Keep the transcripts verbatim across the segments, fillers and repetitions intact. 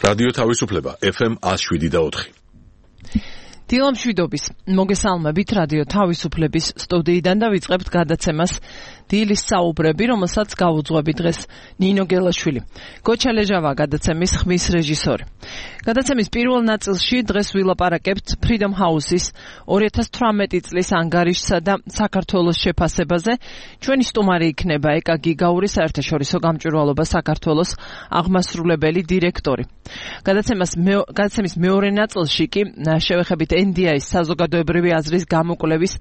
რადიო თავისუფლება ეფ ემ one oh seven point four. დილამშვიდობის მოგესალმებით რადიო თავისუფლების სტუდიიდან და ვიწყებთ გადაცემას დილის საუბრები, რომელსაც გაუძღვები დღეს ნინო გელაშვილი. გოჩა ლეჟავა გადაცემის ხმის რეჟისორი. გადაცემის პირველ ნაწილში დღეს ვილაპარაკებთ Freedom House-ის two thousand eighteen წლის ანგარიშსა და საქართველოს შეფასებაზე. ჩვენი სტუმარი იქნება ეკა გიგაური, საერთაშორისო გამჭვირვალობა საქართველოს აღმასრულებელი დირექტორი. გადაცემას გადაცემის მეორე ნაწილში კი შევეხებით ენ დი აის საზოგადოებრივი აზრის გამოკვლევის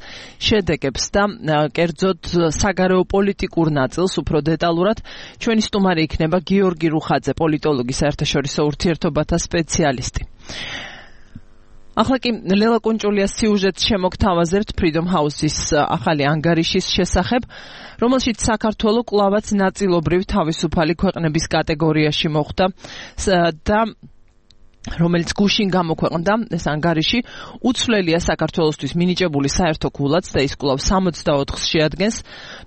შედეგებს და კერძოდ საგარეო პოლიტიკურ ნაწილს უფრო დეტალურად. ჩვენი სტუმარი იქნება გიორგი რუხაძე, პოლიტოლოგი, საერთაშორისო ურთიერთობათა სპეციალისტი. ახლა კი ლელა კუნჭულიას სიუჟეტს შემოგთავაზებთ Freedom House-ის ახალი ანგარიშის შესახებ, რომელშიც საქართველო კვლავაც ნაწილობრივ თავისუფალი ქვეყნების კატეგორიაში მოხვდა და რომელიც გუშინ გამოქვეყნდა ეს ანგარიში, უცვლელია საქართველოსთვის მინიჭებული საერთო ქულაც და ის კვლავ sixty-four-ს შეადგენს,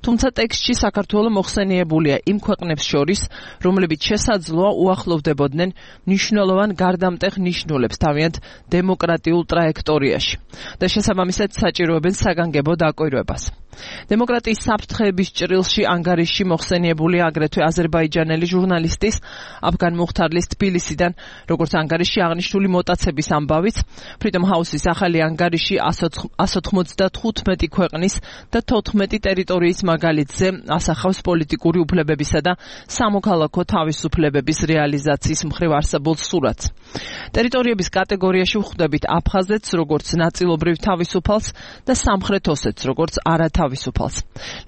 თუმცა ტექსტში საქართველო მოხსენიებულია იმ ქვეყნებს შორის, რომლებიც შესაძლოა უახლოვდებოდნენ მნიშვნელოვან გარდამტეხ ნიშნულებს თავიანთ დემოკრატიულ ტრაექტორიაში და შესაბამისად საჭიროებენ საგანგებო დაკვირვებას. დემოკრატიის საფრთხეების ჭრილში ანგარიში მოხსენიებულია აგრეთვე აზერბაიჯანელი ჟურნალისტის აფგან მუხთარლის თბილისიდან, როგორც ანგარიში აღნიშნული მოტაცების ამბავიც. Freedom House-ის ახალი ანგარიში one ninety-five ქვეყნის და fourteen ტერიტორიის მაგალითზე ასახავს პოლიტიკური უფლებებისა და სამოქალაქო თავისუფლებების რეალიზაციის მხრივ არსებულ სურათს. ტერიტორიების კატეგორიაში ვხვდებით აფხაზეთს, როგორც ნაწილობრივ თავისუფალს და სამხრეთ ოსეთს, როგორც არათავისუფალს.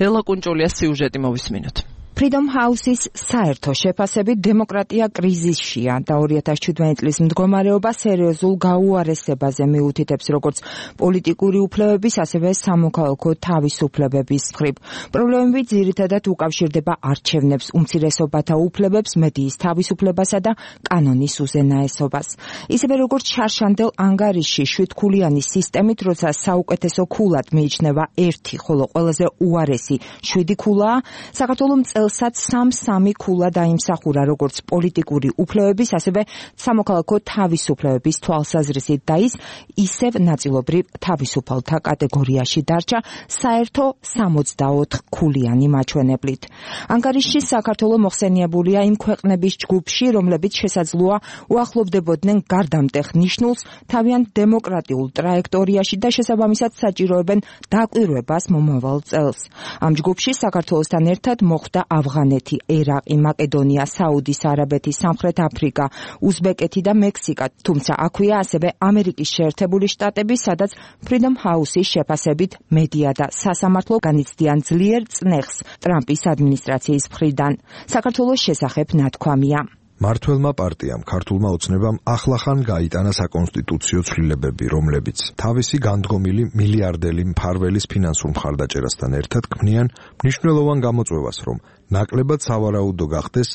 ლელა კუნჭულიას სიუჟეტი მოვისმინოთ. Freedom House-ის საერთო შეფასებით დემოკრატია კრიზისშია და two thousand seventeen წლის მდგომარეობა სერიოზულ გაუარესებაზე მიუთითებს როგორც პოლიტიკური უფლებების, ასევე სამოქალაქო თავისუფლებების მხრივ. პრობლემები ძირითადად უკავშირდება არჩევნებს, უმცირესობათა უფლებებს, მედიის თავისუფლებასა და კანონის უზენაესობას. ისევე როგორც შარშანდელ ანგარიშში შვიდქულიანი სისტემით, როცა საუკეთესო ქულად მიიჩნევა ერთი, ხოლო ყველაზე უარესი შვიდი ქულაა, საქართველოს წელსაც სამ-სამი ქულა დაიმსახურა როგორც პოლიტიკური უფლებების, ასევე სამოქალაქო თავისუფლებების თვალსაზრისით და ის ისევ ნაწილობრივ თავისუფალთა კატეგორიაში დარჩა საერთო sixty-four ქულიანი მაჩვენებლით. ანგარიშში საქართველო მოხსენიებულია იმ ქვეყნების ჯგუფში, რომლებიც შესაძლოა უახლოვდებოდნენ გარდამტეხ ნიშნულს თავიანთ დემოკრატიულ ტრაექტორიაში და შესაბამისად საჭიროებენ დაკვირვებას მომავალ წელს. ამ ჯგუფში საქართველოსთან ერთად მოხვდა ავღანეთი, ერაყი, მაკედონია, საუდის არაბეთი, სამხრეთ აფრიკა, უზბეკეთი და მექსიკა, თუმცა აქვეა ასევე ამერიკის შეერთებული შტატები, სადაც Freedom House-ის შეფასებით მედია და სასამართლო განიცდიან ძლიერ წნეხს ტრამპის ადმინისტრაციის მხრიდან. საქართველოს შესახებ ნათქვამია. მართველმა პარტიამ, ქართულმა ოცნებამ ახლახან გაიტანა საკონსტიტუციო ცვლილებები, რომლებიც თავისი განდგომილი მილიარდელი მფარველის ფინანსურ მხარდაჭერასთან ერთად ქმნიან მნიშვნელოვან გამოწვევას, რომ ნაკლებად სავარაუდო გახდეს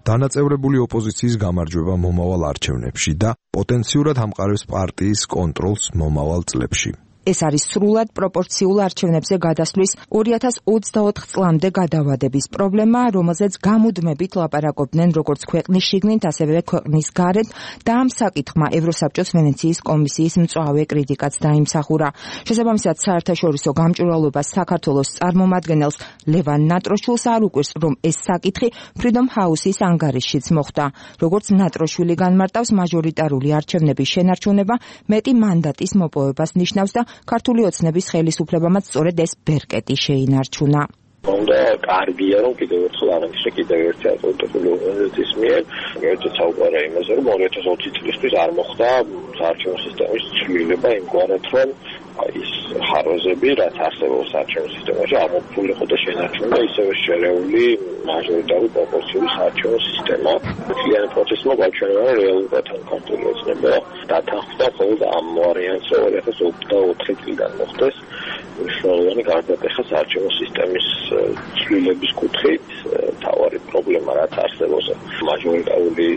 დანაწევრებული ოპოზიციის გამარჯვება მომავალ არჩევნებში და პოტენციურად ამყარებს პარტიის კონტროლს მომავალ წლებში. ეს არის სრულად პროპორციულ არჩევნებზე გადასვლის two thousand twenty-four წლამდე გადავადების პრობლემა, რომელზეც გამუდმებით ლაპარაკობდნენ როგორც ქვეყნის შიგნით, ასევე ქვეყნის გარეთ და ამ საკითხმა ევროსაბჭოს ვენეციის კომისიის მწვავე კრიტიკაც დაიმსახურა. შესაბამისად, საერთაშორისო გამჭვირვალობას საქართველოს წარმომადგენელს ლევან ნატროშვილს არ უკვირს, რომ ეს საკითხი Freedom House-ის ანგარიშშიც მოხვდა. როგორც ნატროშვილი განმარტავს, მაჟორიტარული არჩევნების შენარჩუნება მეტი მანდატის მოპოვებას ნიშნავს და ქართული ოცნების ხელისუფლებამაც სწორედ ეს ბერკეტი შეინარჩუნა. უნდა კარგია, რომ კიდევ ერთხელ აღნიშნე კიდევ ერთი ავტორიტეტული ორგანიზაციის მიერ, ერთ საუბარია იმაზე, რომ two thousand twenty წლისთვის არ მოხდა საარჩევნო სისტემის ცვლილება იმგვარად, რომ ის ხარვეზები, რაც არსებობს საარჩევნო სისტემაში, არ მოხდა და შენარჩუნდა ისევე შერეული მაჟორიტარული პროპორციული საარჩევნო სისტემა. მთლიანი პროცესმა გაჩვენა, რომ რეალურად ქართული ოცნება დათანხმდა მხოლოდ ამ ვარიანტს, რომ two thousand twenty-four წლიდან მოხდეს მნიშვნელოვანი გარდატეხა საარჩევნო სისტემის ცვლილების კუთხით. თავარი პრობლემა რაც არსებობს მაჟორიტარული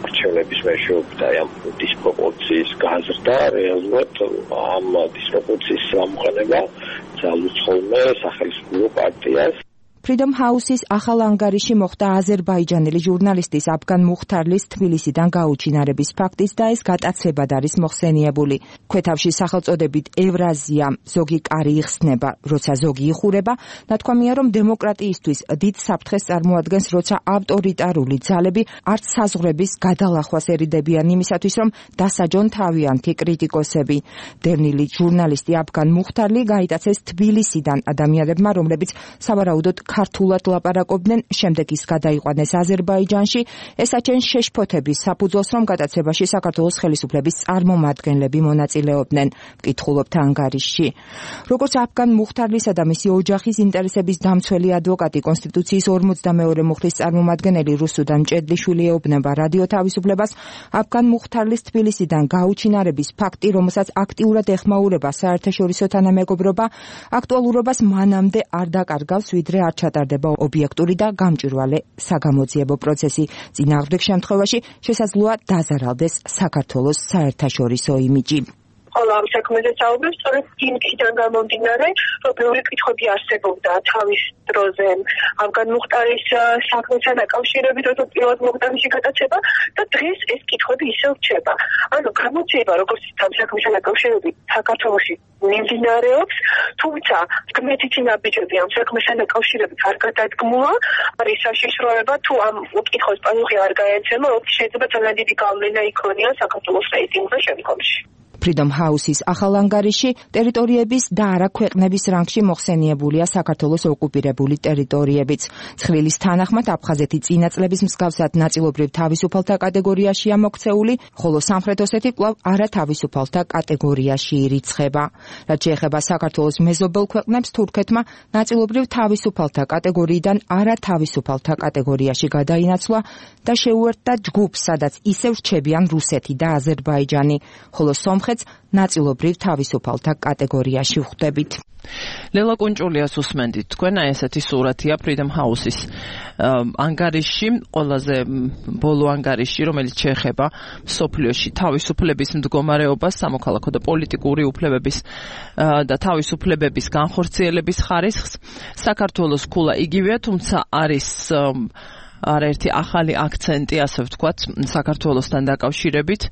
არჩევნების მეშვეობით აი ამ დისპროპორციის გაზრდა, რეალურად ამ დისპროპორციის გამოყენება ძალუძღვნა სახელმწიფო პარტიას. Freedom House-ის ახალ ანგარიში მოხდა აზერბაიჯანელი ჟურნალისტის აფგან მუხთარლის თბილისიდან გაუჩინარების ფაქტიც და ეს გატაცებად არის მოხსენიებული. Ქვეთავში სახელწოდებით ევრაზია ზოგი კარი იხსნება, როცა ზოგი იხურება, ნათქვამია, რომ დემოკრატიისთვის დიდ საფრთხეს წარმოადგენს, როცა ავტორიტარული ძალები არც საზღვრების გადალახვას ერიდებიან იმისათვის, რომ დასაჯონ თავიანთი კრიტიკოსები. დევნილი ჟურნალისტი აფგან მუხთარლი გაიტაცეს თბილისიდან ადამიანებმა, რომლებიც სავარაუდოდ ქართულად ლაპარაკობდნენ, შემდეგ ის გადაიყვანეს აზერბაიჯანში. ეს აჩენს შეშფოთების საფუძველს, რომ გატაცებაში საქართველოს ხელისუფლების წარმომადგენლები მონაწილეობდნენ. ვკითხულობთ ანგარიშში. როგორც აფგან მუხთარლისა და მისი ოჯახის ინტერესების დამცველი ადვოკატი, კონსტიტუციის ორმოცდამეორე მუხლის წარმომადგენელი რუსუდან ჭედლიშვილი ეუბნება რადიო თავისუფლებას, აფგან მუხთარლის თბილისიდან გაუჩინარების ფაქტი, რომელსაც აქტიურად ეხმაურება საერთაშორისო თანამეგობრობა, აქტუალურობას მანამდე არ დაკარგავს, ვიდრე არ ჩატარდება ობიექტური და გამჭვირვალე საგამოძიებო პროცესი. წინააღმდეგ შემთხვევაში შესაძლოა დაზარალდეს საქართველოს საერთაშორისო იმიჯი. All am საქმეზე საუბრობს, სწორედ იმიდან გამომდინარე, რომ ბევრი კითხვები არსებობდა თავის დროზე აფგან მუხტარის საქმესთან დაკავშირებით, როცა პირველად მოხდა მისი გატაცება და დღეს ეს კითხვები ისევ რჩება. ანუ გამოძიება, როგორც ამ საქმესთან დაკავშირებით საქართველოში მიმდინარეობს, თუმცა გმეთითი ნაბიჯები ამ საქმესთან დაკავშირებით არ გადადგმულა, არის საშიშროება თუ ამ კითხვის პასუხი არ გაეცემა, შეიძლება ძალიან დიდი გავლენა იქონია საქართველოს რეიტინგზე შემდგომში. Freedom House-ის ახალ ანგარიში ტერიტორიების და არა ქვეყნების რანგში მოხსენიებულია საქართველოს ოკუპირებული ტერიტორიებიც. ცხრილის თანახმად აფხაზეთი წინა წლების მსგავსად ნაწილობრივ თავისუფალთა კატეგორიაშია მოქცეული, ხოლო სამხრეთ ოსეთი კვლავ არა თავისუფალთა კატეგორიაში ირიცხება. რაც შეეხება საქართველოს მეზობელ ქვეყნებს, თურქეთმა ნაწილობრივ თავისუფალთა კატეგორიიდან არა თავისუფალთა კატეგორიაში გადაინაცვლა და შეუერთდა ჯგუფს, სადაც ისევ რჩებიან რუსეთი და აზერბაიჯანი, ხოლო სომხეთს ნაწილობრივ თავისუფალთა კატეგორიაში ვხვდებით. ლელა კუნჭულიას უსმენდით. თქვენ აი ესეთი სურათია Freedom House-ის ანგარიში, ყველაზე ბოლო ანგარიში, რომელიც შეეხება სოფლიოში თავისუფლების მდგომარეობას, სამოქალაქო და პოლიტიკური უფლებების და თავისუფლებების განხორციელების ხარისხს. საქართველოს ქულა იგივეა, თუმცა არის არაერთი ახალი აქცენტი, ასე ვთქვათ, საქართველოსთან დაკავშირებით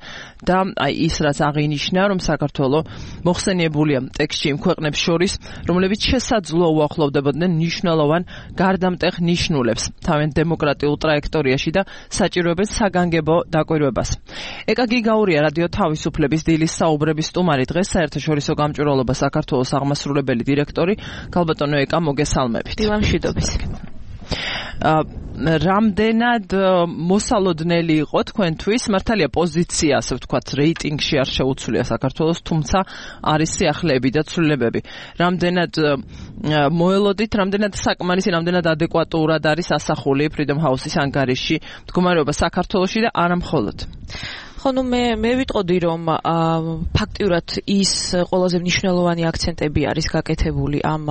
და აი ის რაც აღინიშნა, რომ საქართველო მოხსენიებულია ტექსტში იმ ქვეყნებს შორის, რომლებიც შესაძლოა უახლოვდებოდნენ მნიშვნელოვან გარდამტეხ ნიშნულებს თავენ დემოკრატიულ ტრაექტორიაში და საჭიროებენ საგანგებო დაკვირვებას. ეკა გიგაურია რადიო თავისუფლების დილის საუბრების სტუმარი, დღეს საერთაშორისო გამჭვირვალობა საქართველოს აღმასრულებელი დირექტორი. გალბატონო ეკა, მოგესალმებით. დილამშვიდობის. რამდენად მოსალოდნელი იყო თქვენთვის, მართალია პოზიცია, ასე ვთქვათ, რეიტინგში არ შეუცვლია საქართველოს, თუმცა არის სიახლეები და ცვლილებები. რამდენად მოელოდით, რამდენად საკმარისი, რამდენად ადეკვატურად არის ასახული Freedom House-ის ანგარიში მდგომარეობა საქართველოში და არა მხოლოდ. ხო, ნუ მე მე ვიტყოდი, რომ ფაქტიურად ის ყველაზე მნიშვნელოვანი აქცენტები არის გაკეთებული ამ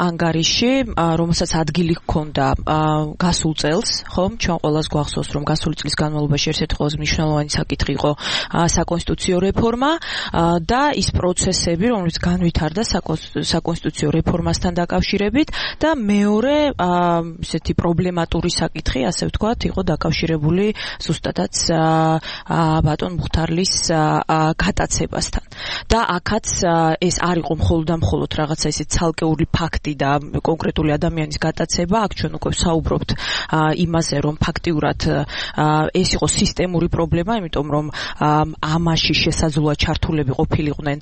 ანგარიში, რომელსაც ადგილი ჰქონდა გასულ წელს, ხო? ჩვენ ყველას გვახსოვს, რომ გასული წლის განმავლობაში ერთ-ერთი ყველაზე მნიშვნელოვანი საკითხი იყო საკონსტიტუციო რეფორმა და ის პროცესები, რომელიც განვითარდა საკონსტიტუციო რეფორმასთან დაკავშირებით და მეორე ესეთი პრობლემატური საკითხი, ასე ვთქვათ, იყო დაკავშირებული ზუსტადაც ბატონ მუხთარლის გატაცებასთან. და აქაც ეს არ იყო მხოლოდ და მხოლოდ რაღაცა ისე ცალკეული ფაქტი და კონკრეტული ადამიანის გატაცება, აქ ჩვენ უკვე ვსაუბრობთ იმაზე, რომ ფაქტიურად ეს იყო სისტემური პრობლემა, იმიტომ რომ ამაში შესაძლოა ჩართულები ყოფილიყვნენ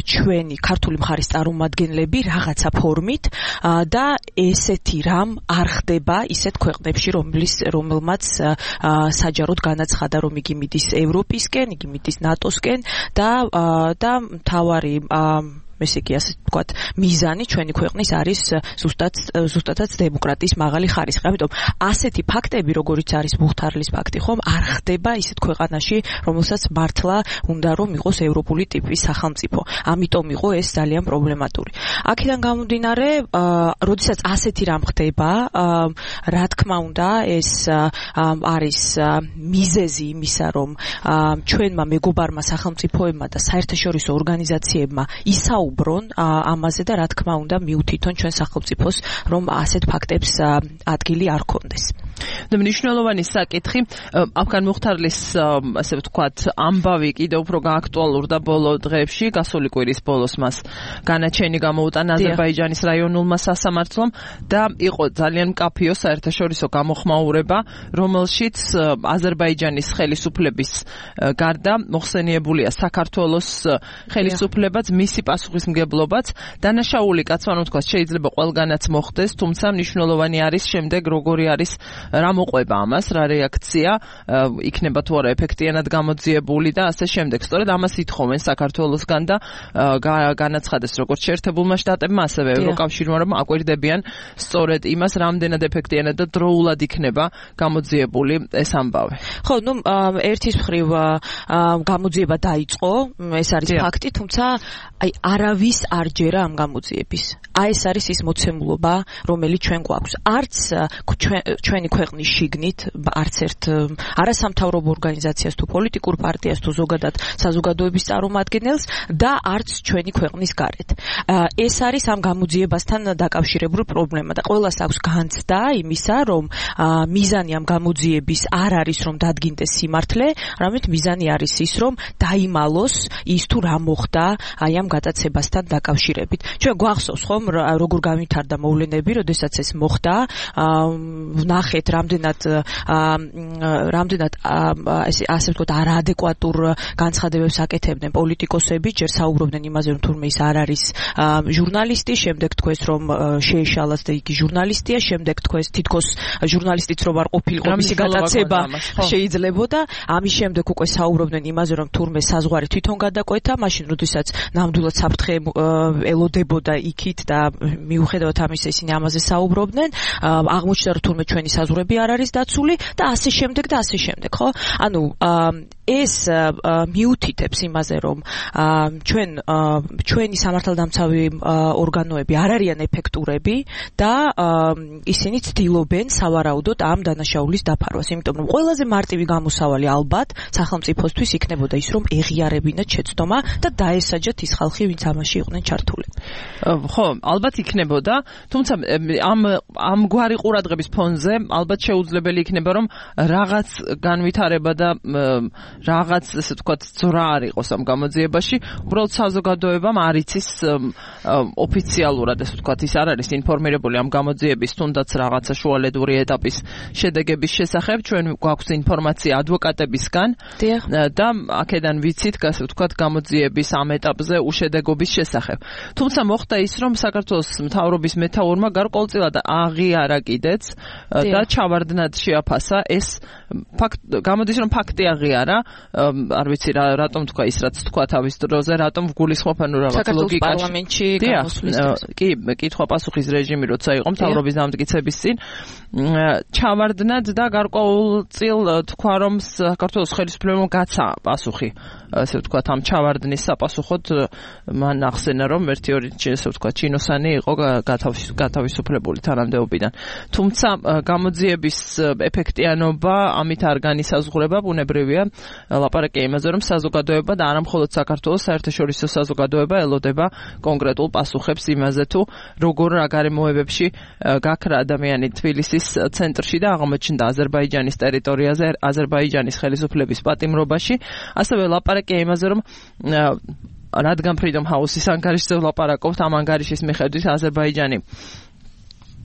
ჩვენი ქართული მხარის წარმომადგენლები რაღაცა ფორმით და ესეთი რამ არ ხდება ისეთ ქვეყნებში, რომლის რომელმაც საჯაროდ განაცხადა, რომ იგი მიდის ევროპისკენ, იგი მიდის ნატოსკენ და და მთავარი ესე იგი ასე ვთქვათ, მიზანი ჩვენი ქვეყნის არის ზუსტად ზუსტადაც დემოკრატიის მაღალი ხარისხი. ამიტომ ასეთი ფაქტები, როგორიც არის მუხთარლის ფაქტი, ხომ არ ხდება ისეთ ქვეყანაში, რომელსაც მართლა უნდა რომ იყოს ევროპული ტიპის სახელმწიფო. ამიტომ იყო ეს ძალიან პრობლემატური. აქედან გამომდინარე, როდესაც ასეთი რამ ხდება, რა თქმა უნდა, ეს არის მიზეზი იმისა, რომ ჩვენმა მეგობარმა სახელმწიფოებმა და საერთაშორისო ორგანიზაციებმა ისაუბრონ საუბრონ ამაზე და რა თქმა უნდა მიუთითონ ჩვენ სახელმწიფოს რომ ასეთ ფაქტებს ადგილი არ ქონდეს. და მნიშვნელოვანი საკითხი აფგან მუხთარლის ასე ვთქვათ ამბავი კიდევ უფრო გააქტუალურდა ბოლო დღეებში გასული კვირის ბოლოს მას განაჩენი გამოუტანა აზერბაიჯანის რაიონულმა სასამართლომ და იყო ძალიან მკაფიო საერთაშორისო გამოხმაურება რომელშიც აზერბაიჯანის ხელისუფლების გარდა მოხსენიებულია საქართველოს ხელისუფლებაც მისი პასუხისმგებლობაც დანაშაული კაცმა თქვა შეიძლება ყველგანაც მოხდეს თუმცა მნიშვნელოვანი არის შემდეგ როგორი არის რა მოყვება ამას, რა რეაქცია იქნება თუ არა ეფექტიანად გამოძიებული და ასე შემდეგ. სწორედ ამას ითხოვენ საქართველოსგან და განაცხადეს როგორც შეერთებულმა შტატებმა, ასევე ევროკავშირმა, რომ აკვირდებიან სწორედ იმას, რამდენად ეფექტიანად და დროულად იქნება გამოძიებული ეს ამბავი. ხო, ну, ერთის მხრივ გამოძიება დაიწყო, ეს არის ფაქტი, თუმცა აი არავის არ ჯერა ამ გამოძიების. აი ეს არის ის მოცემულობა, რომელიც ჩვენ გვაქვს. არც ჩვენი ქვეყნის შიგნით არც ერთ არასამთავრობო ორგანიზაციას თუ პოლიტიკურ პარტიას თუ ზოგადად საზოგადოების წარმომადგენელს და არც ჩვენი ქვეყნის გარეთ. ეს არის ამ გამოძიებასთან დაკავშირებული პრობლემა და ყველას აქვს განცდა იმისა, რომ მიზანი ამ გამოძიების არ არის რომ დადგინდეს სიმართლე, არამედ მიზანი არის ის, რომ დაიმალოს ის თუ რა მოხდა აი ამ გადაცებასთან დაკავშირებით. ჩვენ გვახსოვს ხომ როგორ გამვითარდა მოვლენები, როდესაც ეს მოხდა, ვნახეთ რამდენად რამდენად ასე ვთქვათ არაადეკვატურ განცხადებებს აკეთებდნენ პოლიტიკოსები, ჯერ საუბრობდნენ იმაზე, რომ თურმე ის არ არის ჟურნალისტი, შემდეგ თქვეს რომ შეეშალათ და იგი ჟურნალისტია, შემდეგ თქვეს თითქოს ჟურნალისტიც რომ არ ყოფილიყო მისი გადაცება შეიძლებოდა, ამის შემდეგ უკვე საუბრობდნენ იმაზე, რომ თურმე საზღვარი თვითონ გადაკვეთა, მაშინ როდესაც ნამდვილად საფრთხე ელოდებოდა იქით და მიუხედავად ამისა ისინი ამაზე საუბრობდნენ, აღმოჩნდა რომ თურმე ჩვენი საზღვრები არ არის დაცული და ასე შემდეგ და ასე შემდეგ, ხო? ანუ ეს მიუთითებს იმაზე, რომ ჩვენ ჩვენი სამართალდამცავი ორგანოები არ არიან ეფექტურები და ისინი ცდილობენ სავარაუდოდ ამ დანაშაულის დაფარვას, იმიტომ რომ ყველაზე მარტივი გამოსავალი ალბათ სახელმწიფოსთვის იქნებოდა ის, რომ ეღიარებინათ შეცდომა და დაესაჯათ ის ხალხი, ვინც ამაში იყვნენ ჩართული. ხო, ალბათ იქნებოდა, თუმცა ამ ამგვარი ყურადღების ფონზე ალბათ შეუძლებელი იქნება, რომ რაღაც განვითარება და რაღაც, ესე ვთქვათ, ძრა არ იყოს ამ გამოძიებაში, უბრალოდ საზოგადოებამ არ იცის ოფიციალურად, ესე ვთქვათ, ის არ არის ინფორმირებული ამ გამოძიების თუნდაც რაღაცა შუალედური ეტაპის შედეგების შესახებ, ჩვენ გვაქვს ინფორმაცია ადვოკატებისგან და აქედან ვიცით, ასე ვთქვათ, გამოძიების ამ ეტაპზე უშედეგობის შესახებ. თუმცა მოხდა ის, რომ საქართველოს მთავრობის მეთაურმა გარკვეულწილად აღიარა კიდეც და ჩავარდნად შეაფასა ეს ფაქტ გამოდის რომ ფაქტი აღიარა, არ ვიცი რა რატომ თქვა ის რაც თქვა თავის დროზე, რატომ გულისხმობენ რომ რაღაც ლოგიკაში პარლამენტში გამოსვლის კი კითხვა პასუხის რეჟიმი როცა იყო მთავრობის დამტკიცების წინ ჩავარდნად და გარკვეულწილ თქვა რომ საქართველოს ხელისუფლებამ გაცა პასუხი, ასე ვთქვათ, ამ ჩავარდნის საპასუხოდ მან ახსენა რომ ერთი ორი ესე ვთქვათ ჩინოსანი იყო გათავისუფლებული თანამდებობიდან. თუმცა გამოძიების ეფექტიანობა ამით არ განისაზღვრება, ბუნებრივია ლაპარაკია იმაზე, რომ საზოგადოება და არა მხოლოდ საქართველოს საერთაშორისო საზოგადოება ელოდება კონკრეტულ პასუხებს იმაზე თუ როგორ რა გარემოებებში გაქრა ადამიანი თბილისის ცენტრში და აღმოჩნდა აზერბაიჯანის ტერიტორიაზე, აზერბაიჯანის ხელისუფლების პატიმრობაში, ასევე ლაპარაკია იმაზე, რომ რადგან Freedom House-ის ანგარიშზე ვლაპარაკობთ, ამ ანგარიშის მიხედვით აზერბაიჯანი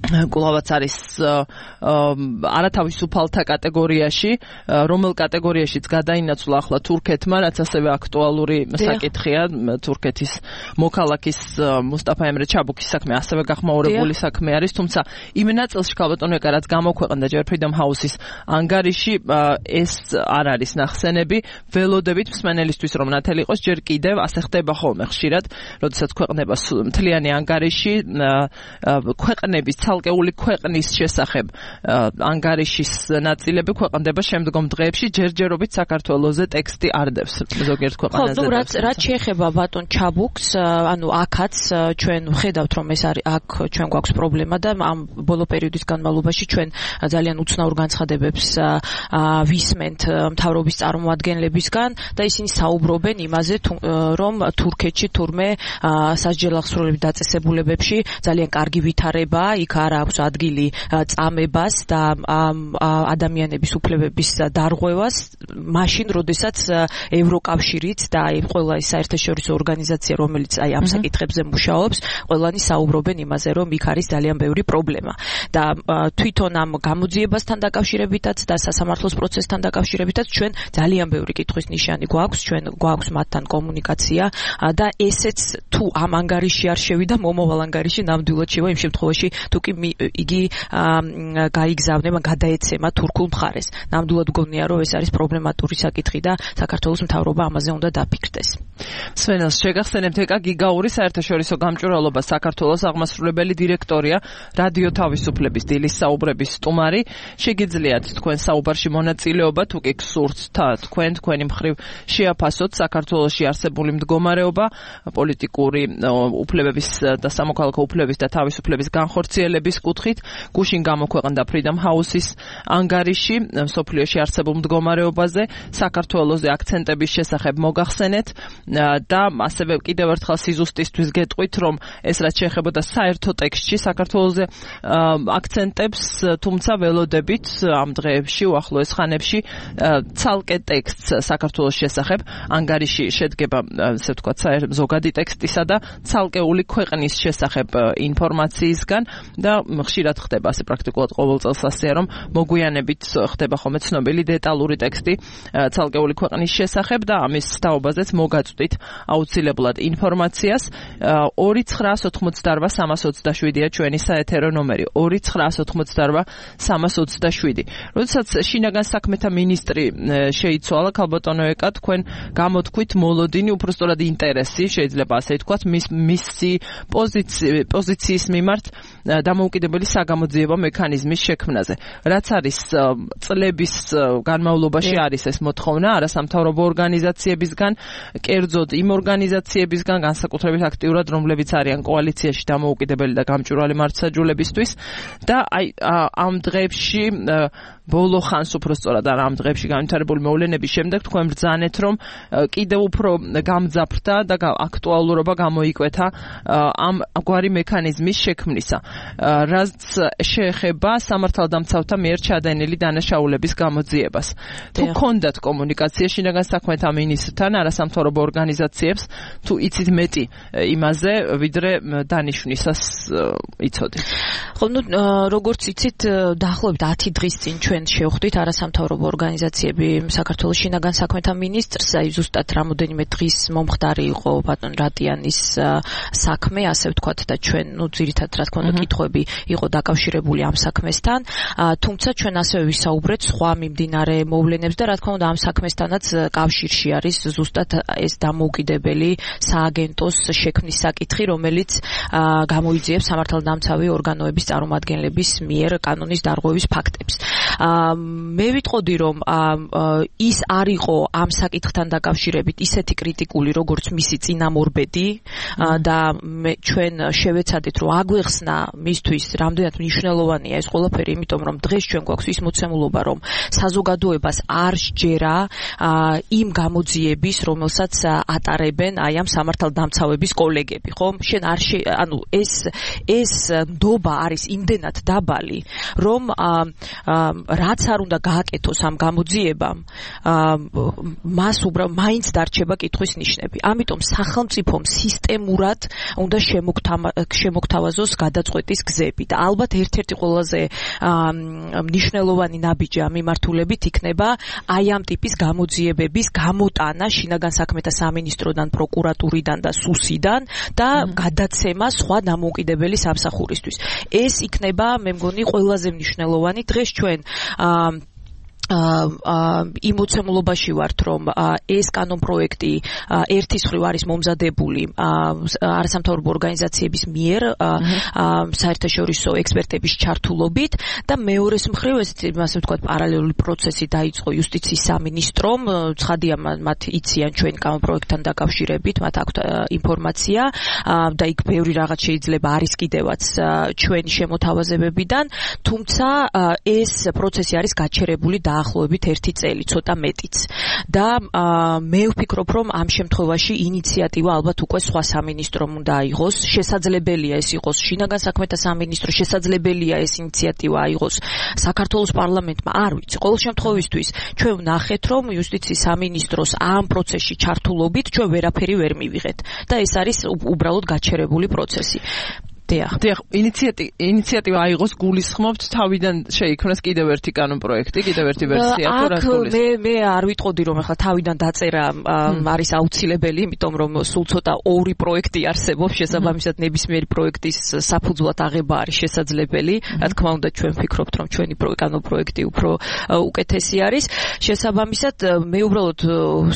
კვლავაც არის არათავისუფალთა კატეგორიაში, რომელ კატეგორიაშიც გადაინაცვლა ახლა თურქეთმა, რაც ასევე აქტუალური საკითხია, თურქეთის მოქალაქის მუსტაფა ემრე ჩაბუქის საქმე ასევე გახმაურებული საქმე არის, თუმცა იმ ნაწილში ქალბატონიკა რაც გამოქვეყნდა ჯერ Freedom House-ის ანგარიში, ეს არ არის ნახსენები, ველოდებით მსმენელისთვის რომ ნათელი იყოს, ჯერ კიდევ ასე ხდება ხოლმე ხშირად, როდესაც ქვეყნება მთლიანი ანგარიში ქვეყნების ცალკეული ქვეყნის შესახებ ანგარიშის ნაწილები ქვეყნდება შემდგომ დღეებში ჯერჯერობით საქართველოზე ტექსტი არდებს ზოგიერთ ქვეყანაზე. ხო, რაც რაც შეეხება ბატონ ჩაბუქს, ანუ აქაც ჩვენ ვხედავთ რომ ეს არის აქ ჩვენ გვაქვს პრობლემა და ამ ბოლო პერიოდის განმავლობაში ჩვენ ძალიან უცნაურ განცხადებებს ვისმენთ მთავრობის წარმომადგენლებისგან და ისინი საუბრობენ იმაზე რომ თურქეთში თურმე სასჯელ აღსრულების დაწესებულებებში ძალიან კარგი ვითარებაა, იქ არ აქვს ადგილი წამებას და ადამიანების უფლებების დარღვევას, მაშინ როდესაც ევროკავშირიც და აი ყველა ის საერთაშორისო ორგანიზაცია რომელიც აი ამ საკითხებზე მუშაობს, ყველანი საუბრობენ იმაზე რომ იქ არის ძალიან ბევრი პრობლემა და თვითონ ამ გამოძიებასთან დაკავშირებითაც და სასამართლოს პროცესთან დაკავშირებითაც ჩვენ ძალიან ბევრი კითხვის ნიშანი გვაქვს, ჩვენ გვაქვს მათთან კომუნიკაცია და ესეც თუ ამ ანგარიში არ შევიდა მომავალ ანგარიში ნამდვილად შევა იმ შემთხვევაში თუ კი იგი გაიგზავნება, გადაეცემა თურქულ მხარეს. ნამდვილად გონია რომ ეს არის პრობლემატური საკითხი და საქართველოს მთავრობა ამაზე უნდა დაფიქრდეს. სვენელს შეგახსენებთ ეკა გიგაური საერთაშორისო გამჭვირვალობა საქართველოს აღმასრულებელი დირექტორია, რადიო თავისუფლების დილის საუბრების სტუმარი. შეგიძლიათ თქვენ საუბარში მონაწილეობა, თუ კი გსურთ თქვენ თქვენი მხრივ შეაფასოთ საქართველოში არსებული მდგომარეობა, პოლიტიკური უფლებების და სამოქალაქო უფლებების და თავისუფლების განხორციელების კუთხით. გუშინ გამოქვეყნდა Freedom House-ის ანგარიში მსოფლიოში არსებულ მდგომარეობაზე, საქართველოზე აქცენტების შესახებ მოგახსენეთ და ასევე კიდევ ერთხელ სიზუსტისთვის გეტყვით, რომ ეს რაც შეეხებოდა საერთო ტექსტში საქართველოზე აქცენტებს, თუმცა ველოდებით ამ დღეებში, უახლოეს ხანებში ცალკე ტექსტს საქართველოს შესახებ ანგარიში შედგება, ასე ვთქვათ, ზოგადი ტექსტისა და ცალკეული ქვეყნის შესახებ ინფორმაციისგან და ხშირად ხდება ასე პრაქტიკულად ყოველ წელს ასეა, რომ მოგვიანებით ხდება ხოლმე ცნობილი დეტალური ტექსტი ცალკეული ქვეყნის შესახებ და ამის თაობაზეც მოგაწვდით აუცილებლად ინფორმაციას. ორი ცხრაას ოთხმოცდარბა სამას ოცდაშვიდია ჩვენი საეთერო ნომერი ორი ცხრაას ოთხმოცდარბა სამას ოცდაშვიდი. როდესაც შინაგან საქმეთა მინისტრი შეიცვალა, ქალბატონო ეკა, თქვენ გამოთქვით მოლოდინი, უბრალოდ ინტერესი, შეიძლება ასე ვთქვათ, მის მისი პოზიციის მიმართ დამოუკიდებელი საგამოძიებო მექანიზმის შექმნაზე. რაც არის წლების განმავლობაში არის ეს მოთხოვნა არასამთავრობო ორგანიზაციებისგან, კერძოდ იმ ორგანიზაციებისგან, განსაკუთრებით აქტიურად, რომლებიც არიან კოალიციაში დამოუკიდებელი და გამჭვირვალე მართლმსაჯულებისთვის და აი ამ დღეებში ბოლო ხანს უბრალოდ ამ დღეებში განვითარებული მოვლენების შემდეგ თქვენ ბრძანეთ, რომ კიდევ უფრო გამძაფრდა და აქტუალურობა გამოიკვეთა ამ გვარი მექანიზმის შექმნისა. რაც შეეხება სამართალდამცავთა მიერ ჩადენილი დანაშაულების გამოძიებას. თუ გქონდათ კომუნიკაცია შინაგან საქმეთა მინისტრთან, არასამთავრობო ორგანიზაციებს, თუ იცით მეტი იმაზე, ვიდრე დანიშვნისას იცოდით. ხო, ნუ როგორც იცით, დაახლოებით ათი დღის წინ ჩვენ შევხვდით არასამთავრობო ორგანიზაციები საქართველოს შინაგან საქმეთა მინისტრს, აი ზუსტად რამოდენიმე დღის მომხდარი იყო ბატონ რატიანის საქმე, ასე ვთქვათ და ჩვენ, ნუ ძირითადად რა თქმა უნდა, კითხვები იყო დაკავშირებული ამ საქმესთან, თუმცა ჩვენ ასევე ვისაუბრეთ სხვა მიმდინარე მოვლენებს და რა თქმა უნდა ამ საქმესთანაც კავშირში არის ზუსტად ეს დამოუკიდებელი სააგენტოს შექმნის საკითხი, რომელიც გამოიძიებს სამართალდამცავი ორგანოების წარმომადგენლების მიერ კანონის დარღვევის ფაქტებს. მე ვიტყოდი, რომ ის არ იყო ამ საკითხთან დაკავშირებით ისეთი კრიტიკული, როგორც მისი წინამორბედი და ჩვენ შევეცადეთ, რომ აგვეხსნა მისთვის რამდენად მნიშვნელოვანია ეს ყველაფერი, იმიტომ რომ დღეს ჩვენ გვაქვს ის მოცემულობა, რომ საზოგადოებას არ სჯერა იმ გამოძიების, რომელსაც ატარებენ აი ამ სამართალდამცავების კოლეგები, ხო? შენ არ ანუ ეს ეს ნდობა არის იმდენად დაბალი, რომ რაც არ უნდა გააკეთოს ამ გამოძიებამ, მას უბრალოდ მაინც დარჩება კითხვის ნიშნები. ამიტომ სახელმწიფომ სისტემურად უნდა შემოგთავაზოს გადაწყვეტის გზები და ალბათ ერთ-ერთი ყველაზე მნიშვნელოვანი ნაბიჯი ამ მიმართულებით იქნება აი ამ ტიპის გამოძიებების გამოტანა შინაგან საქმეთა სამინისტროდან, პროკურატურიდან და სუსიდან და გადაცემა სხვა დამოუკიდებელი სამსახურისთვის. ეს იქნება, მე მგონი, ყველაზე მნიშვნელოვანი. დღეს ჩვენ იმ მოცემულობაში ვართ, რომ ეს კანონპროექტი ერთის მხრივ არის მომზადებული არასამთავრობო ორგანიზაციების მიერ საერთაშორისო ექსპერტების ჩართულობით და მეორეს მხრივ ეს ასე ვთქვათ პარალელური პროცესი დაიწყო იუსტიციის სამინისტრომ, ცხადია მათ იციან ჩვენ კანონპროექტთან დაკავშირებით, მათ აქვთ ინფორმაცია და იქ ბევრი რაღაც შეიძლება არის კიდევაც ჩვენი შემოთავაზებებიდან, თუმცა ეს პროცესი არის გაჩერებული დაახლოებით ერთი წელი, ცოტა მეტიც. და მე ვფიქრობ, რომ ამ შემთხვევაში ინიციატივა ალბათ უკვე სხვა სამინისტრომ უნდა აიღოს. შესაძლებელია ეს იყოს შინაგან საქმეთა სამინისტრო, შესაძლებელია ეს ინიციატივა აიღოს საქართველოს პარლამენტმა, არ ვიცი. ყოველ შემთხვევისთვის ჩვენ ვნახეთ, რომ იუსტიციის სამინისტროს ამ პროცესში ჩართულობით ჩვენ ვერაფერი ვერ მივიღეთ და ეს არის უბრალოდ გაჩერებული პროცესი. დიახ. დიახ, ინიციატივა აიღოს გულისხმობთ თავიდან შეიქმნას კიდევ ერთი კანონპროექტი, კიდევ ერთი ვერსია თუ რა გულისხმობთ? მე მე არ ვიტყოდი რომ ახლა თავიდან დაწერა არის აუცილებელი, იმიტომ რომ სულ ცოტა ორი პროექტი არსებობს, შესაბამისად ნებისმიერი პროექტის საფუძვლად აღება არის შესაძლებელი. რა თქმა უნდა, ჩვენ ვფიქრობთ, რომ ჩვენი კანონპროექტი უფრო უკეთესი არის. შესაბამისად, მე უბრალოდ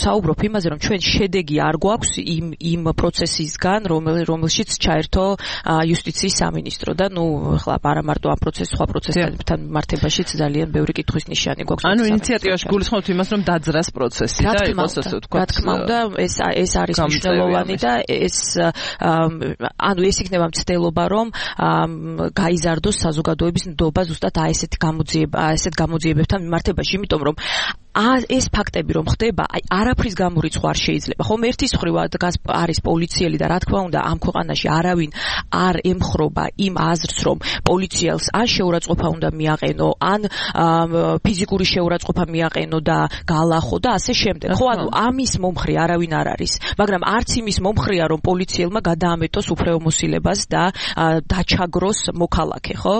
საუბრობ იმაზე, რომ ჩვენ შედეგი არ გვაქვს იმ იმ პროცესისგან, რომელშიც ჩაერთო იუსტიციის სამინისტრო და ნუ ახლა არა მარტო ამ პროცესს, სხვა პროცესთან მართებაშიც ძალიან ბევრი კითხვის ნიშანი გვაქვს. ანუ ინიციატივაში გულისხმობთ იმას, რომ დაძრას პროცესი და იყოს ასე ვთქვათ. რა თქმა უნდა, ეს ეს არის მნიშვნელოვანი და ეს ანუ ეს იქნება მცდელობა, რომ გაიზარდოს საზოგადოების ნდობა ზუსტად აი ესეთ გამოძიება, ესეთ გამოძიებებთან მიმართებაში, იმიტომ რომ ეს ფაქტები რომ ხდება, აი არაფრის გამორიცხვა არ შეიძლება. ხომ ერთის მხრივ არის პოლიციელი და რა თქმა უნდა ამ ქვეყანაში არავინ არ ემხრობა იმ აზრს, რომ პოლიციელს ან შეურაცხყოფა უნდა მიაყენო, ან ფიზიკური შეურაცხყოფა მიაყენო და გაალახო და ასე შემდეგ. ხო, ანუ ამის მომხრე არავინ არ არის, მაგრამ არც იმის მომხრეა, რომ პოლიციელმა გადაამეტოს უფლებამოსილებას და დაჩაგროს მოქალაქე, ხო?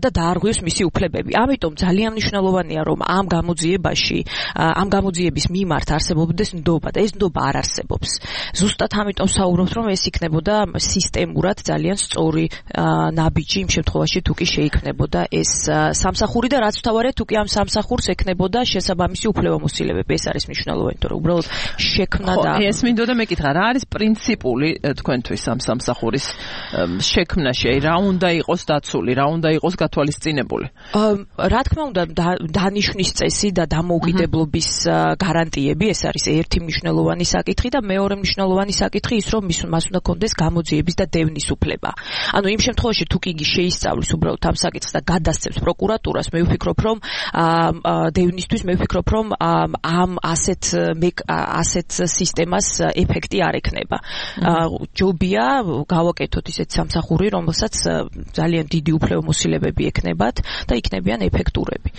და დაარღვიოს მისი უფლებები. ამიტომ ძალიან მნიშვნელოვანია, რომ ამ გამოძიებაში ამ გამოძიების მიმართ არსებობდეს ნდობა და ეს ნდობა არ არსებობს. ზუსტად ამიტომ საუბრობთ, რომ ეს იქნებოდა სისტემურად ძალიან სწორი ნაბიჯი იმ შემთხვევაში თუ კი შეიქმნებოდა ეს სამსახური და რაც თავარია თუ კი ამ სამსახურს ექნებოდა შესაბამისი უფლებამოსილებები. ეს არის მნიშვნელოვანი, თორე უბრალოდ შექმნა და ეს მინდოდა მეკითხა, რა არის პრინციპული თქვენთვის ამ სამსახურის შექმნაში? რა უნდა იყოს დაცული, რა უნდა იყოს გათვალისწინებული? რა თქმა უნდა, დანიშვნის წესი და დამოუკიდებლობის გარანტიები, ეს არის ერთი მნიშვნელოვანი საკითხი და მეორე მნიშვნელოვანი საკითხი ის, რომ მას უნდა კონდეს გამოძიების და დევნის უფლება. ანუ იმ შემთხვევაში თუ კი შეისწავლის უბრალოდ ამ საკითხს და გადასცემს პროკურატურას, მე ვფიქრობ, რომ დევნისთვის მე ვფიქრობ, რომ ამ ასეთ ასეთ სისტემას ეფექტი არ ექნება. ჯობია გავაკეთოთ ისეთ სამსახური, რომელსაც ძალიან დიდი უფლებამოსილებები ექნებათ და იქნებიან ეფექტურები.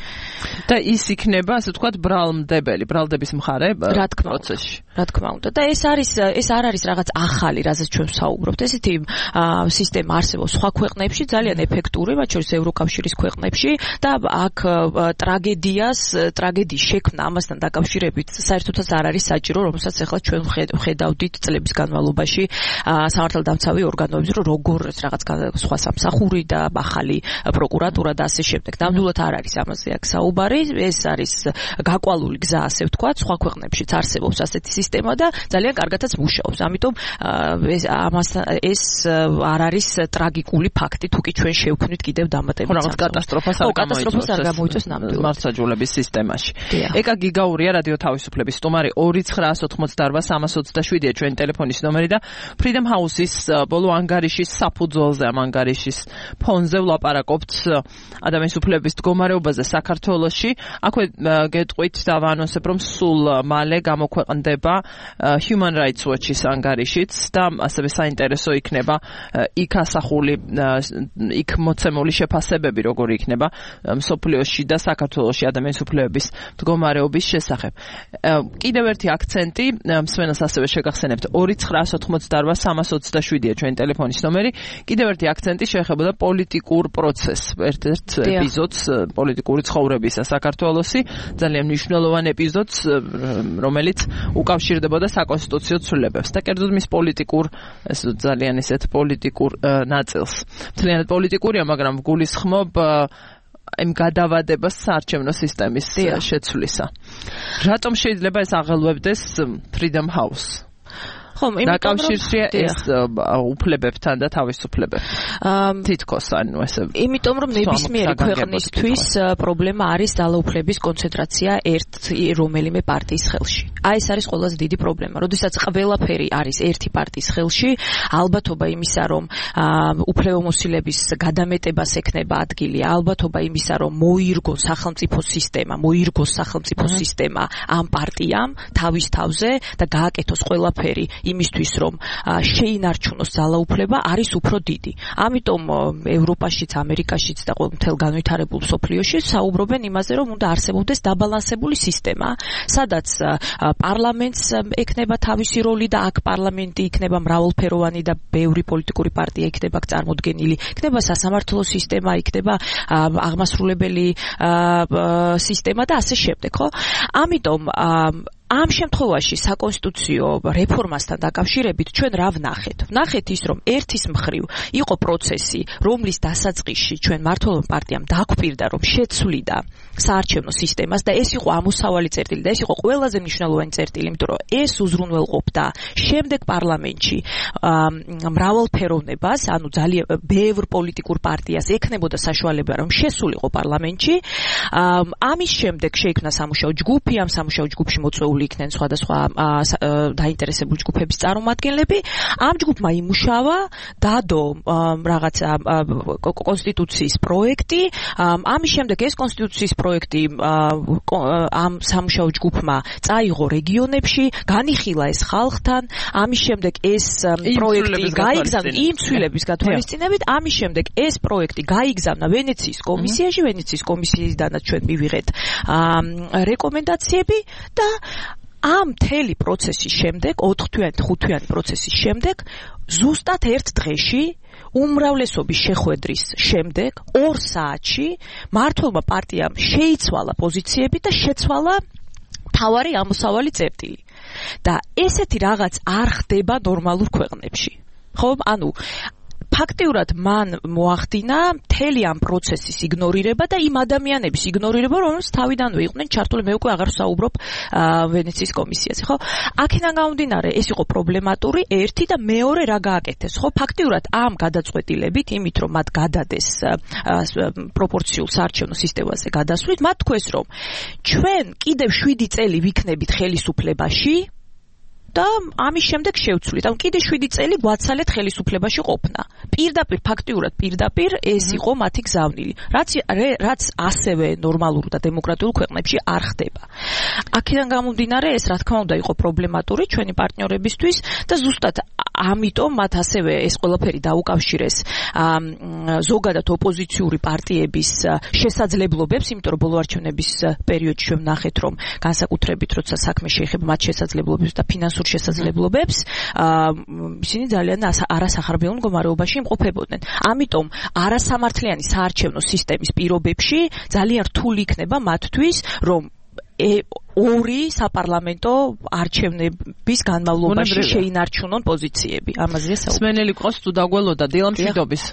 და ის იქნება, ასე ვთქვათ, ბრალმდებელი, ბრალდების მხარე პროცესში. რა თქმა უნდა. და ეს არის ეს არ არის რაღაც ახალი, რაზეც ჩვენ ვსაუბრობთ. ესეთი სისტემა არსებობს სხვა ქვეყნებში, ძალიან ეფექტური, მათ შორის ევროკავშირის ქვეყნებში და აქ ტრაგედიას, ტრაგედიის შექმნა ამასთან დაკავშირებით საერთოდაც არ არის საჭირო, რომელსაც ახლა ჩვენ ვხედავდით წლების განმავლობაში სამართალდამცავი ორგანოები, რომ როგორ რაღაც სხვა სამსახური და ახალი პროკურატურა და ასე შემდეგ. ნამდვილად არ არის ამაზე აქ საუბარი, ეს არის გაკვალული გზა, ასე ვთქვათ, სხვა ქვეყნებშიც არსებობს ასეთი სისტემა და ძალიან კარგადაც მუშაობს. ამიტომ ეს ამასთან ეს არ არის ტრაგიკული ფაქტი, თუ კი ჩვენ შევქმნით კიდევ დამატებით რაღაც კატასტროფას არ კატასტროფას არ გამოიწვევს ნამდვილად მართლმსაჯულების სისტემაში. ეკა გიგაურია, რადიო თავისუფლების სტუმარი, ორი ცხრაას ოთხმოცდაარბა სამას ოცდაშვიდია ჩვენი ტელეფონის ნომერი და Freedom House-ის ბოლო ანგარიშის საფუძველზე, ამ ანგარიშის ფონზე ვლაპარაკობთ ადამიანის უფლებების მდგომარეობაზე საქართველოში. აქვე გეტყვით და ვანონსებ, რომ სულ მალე გამოქვეყნდება Human Rights Watch-ის ანგარიშიც და ასევე საინტერესო იქნება იქ ასახული, იქ მოცემული შეფასებები, როგორი იქნება მსოფლიოში და საქართველოში ადამიანის უფლებების მდგომარეობის შესახებ. კიდევ ერთი აქცენტი, მსმენელს ასევე შეგახსენებთ, ორი ცხრაას ოთხმოცდაარბა სამას ოცდაშვიდია ჩვენი ტელეფონის ნომერი. კიდევ ერთი აქცენტი შეეხებოდა პოლიტიკურ პროცესს, ერთ-ერთ ეპიზოდს პოლიტიკური ცხოვრებისა საქართველოსი, ძალიან მნიშვნელოვან ეპიზოდს, რომელიც უკავშირდებოდა საკონსტიტუციო ცვლილებებს და კერძოდ მის პოლიტიკურ, ეს ძალიან ისეთ პოლიტიკურ ნაწილს. ძალიან პოლიტიკურია, მაგრამ გულისხმობ იმ გადავადებას საარჩევნო სისტემის შეცვლისა. რატომ შეიძლება ეს აღელვებდეს Freedom House? ხომ, დაკავშირშია ეს უფლებებთან და თავისუფლებებთან. თითქოს ანუ ესე. იმიტომ რომ ნებისმიერი ქვეყნისთვის პრობლემა არის ძალაუფლების კონცენტრაცია ერთ რომელიმე პარტიის ხელში. აი ეს არის ყველაზე დიდი პრობლემა. როდესაც ყველაფერი არის ერთი პარტიის ხელში, ალბათობა იმისა, რომ უფლებამოსილების გადამეტებას ექნება ადგილი, ალბათობა იმისა, რომ მოირგოს სახელმწიფო სისტემა, მოირგოს სახელმწიფო სისტემა ამ პარტიამ თავის თავზე და გააკეთოს ყველაფერი იმისთვის რომ შეინარჩუნოს ძალაუფლება არის უფრო დიდი. ამიტომ ევროპაშიც, ამერიკაშიც და მთელ განვითარებულ მსოფლიოში საუბრობენ იმაზე, რომ უნდა არსებობდეს დაბალანსებული სისტემა, სადაც პარლამენტს ექნება თავისი როლი და აქ პარლამენტი იქნება მრავალფეროვანი და ბევრი პოლიტიკური პარტია იქნება წარმოდგენილი, იქნება სასამართლო სისტემა, იქნება აღმასრულებელი სისტემა და ასე შემდეგ, ხო? ამიტომ ამ შემთხვევაში საკონსტიტუციო რეფორმასთან დაკავშირებით ჩვენ რა ვნახეთ? ვნახეთ ის, რომ ერთის მხრივ იყო პროცესი, რომლის დასაწყისში ჩვენ მმართველობ პარტიამ დაგვპირდა, რომ შეცვლიდა საარჩევნო სისტემას და ეს იყო ამოსავალი წერტილი და ეს იყო ყველაზე მნიშვნელოვანი წერტილი, იმიტომ რომ ეს უზრუნველყოფდა შემდეგ პარლამენტში მრავალფეროვნებას, ანუ ძალიან ბევრ პოლიტიკურ პარტიას ექნებოდა საშუალება, რომ შესულიყო პარლამენტში. ამის შემდეგ შეიქმნა სამუშაო ჯგუფი, ამ სამუშაო ჯგუფში მოწვეული იქნენ სხვადასხვა დაინტერესებული ჯგუფების წარმომადგენლები. ამ ჯგუფმა იმუშავა, დადო რაღაცა კონსტიტუციის პროექტი. ამის შემდეგ ეს კონსტიტუციის პროექტი ამ სამუშაო ჯგუფმა წაიღო რეგიონებში, განიხილა ეს ხალხთან. ამის შემდეგ ეს პროექტი გაიგზავნა იმ ცვლილების გათვალისწინებით. ამის შემდეგ ეს პროექტი გაიგზავნა ვენეციის კომისიაში, ვენეციის კომისიიდანაც ჩვენ მივიღეთ რეკომენდაციები და ამ მთელი პროცესის შემდეგ, ოთხთვიანი, ხუთთვიანი პროცესის შემდეგ, ზუსტად ერთ დღეში, უმრავლესობის შეხვედრის შემდეგ, ორ საათში, მმართველმა პარტიამ შეიცვალა პოზიციები და შეცვალა მთავარი ამოსავალი წერტილი. და ესეთი რაღაც არ ხდება ნორმალურ ქვეყნებში. ხო, ანუ ფაქტიურად მან მოახდინა მთელი ამ პროცესის იგნორირება და იმ ადამიანების იგნორირება, რომელს თავიდანვე იყვნენ ჩართული, მე უკვე აღარ ვსაუბრობ ვენეციის კომისიაზე, ხო? აქედან გამომდინარე, ეს იყო პრობლემატური ერთი და მეორე რა გააკეთეს, ხო? ფაქტიურად ამ გადაწყვეტილებით, იმით რომ მათ გადადეს პროპორციულ საარჩევნო სისტემაზე გადასვლით, მათ თქვეს, რომ ჩვენ კიდევ შვიდი წელი ვიქნებით ხელისუფლებაში და ამის შემდეგ შევცვლით. ანუ კიდე შვიდი წელი გვაცალეთ ხელისუფლებაში ყოფნა. პირდაპირ ფაქტიურად პირდაპირ ეს იყო მათი გზავნილი. რაც რაც ასევე ნორმალურ და დემოკრატიულ ქვეყნებში არ ხდება. აქედან გამომდინარე ეს რა თქმა უნდა იყო პრობლემატური ჩვენი პარტნიორებისთვის და ზუსტად ამიტომ მათ ასევე ეს ყველაფერი დაუკავშირეს ზოგადად ოპოზიციური პარტიების შესაძლებლობებს, იმიტომ რომ ბოლო არჩევნების პერიოდში ჩვენ ვნახეთ, რომ განსაკუთრებით როცა საქმე შეეხება მათ შესაძლებლობებს და ფინანსურ შესაძლებლობებს, ისინი ძალიან არასახარბიელ მდგომარეობაში იმყოფებოდნენ. ამიტომ არასამართლიანი საარჩევნო სისტემის პირობებში ძალიან რთული იქნება მათთვის, რომ ორი საპარლამენტო არჩევნების განმავლობაში შეინარჩუნონ პოზიციები. ამაზეა საუბარი. სმენელი ყავს თუ დაგველოდა დილა მშვიდობის.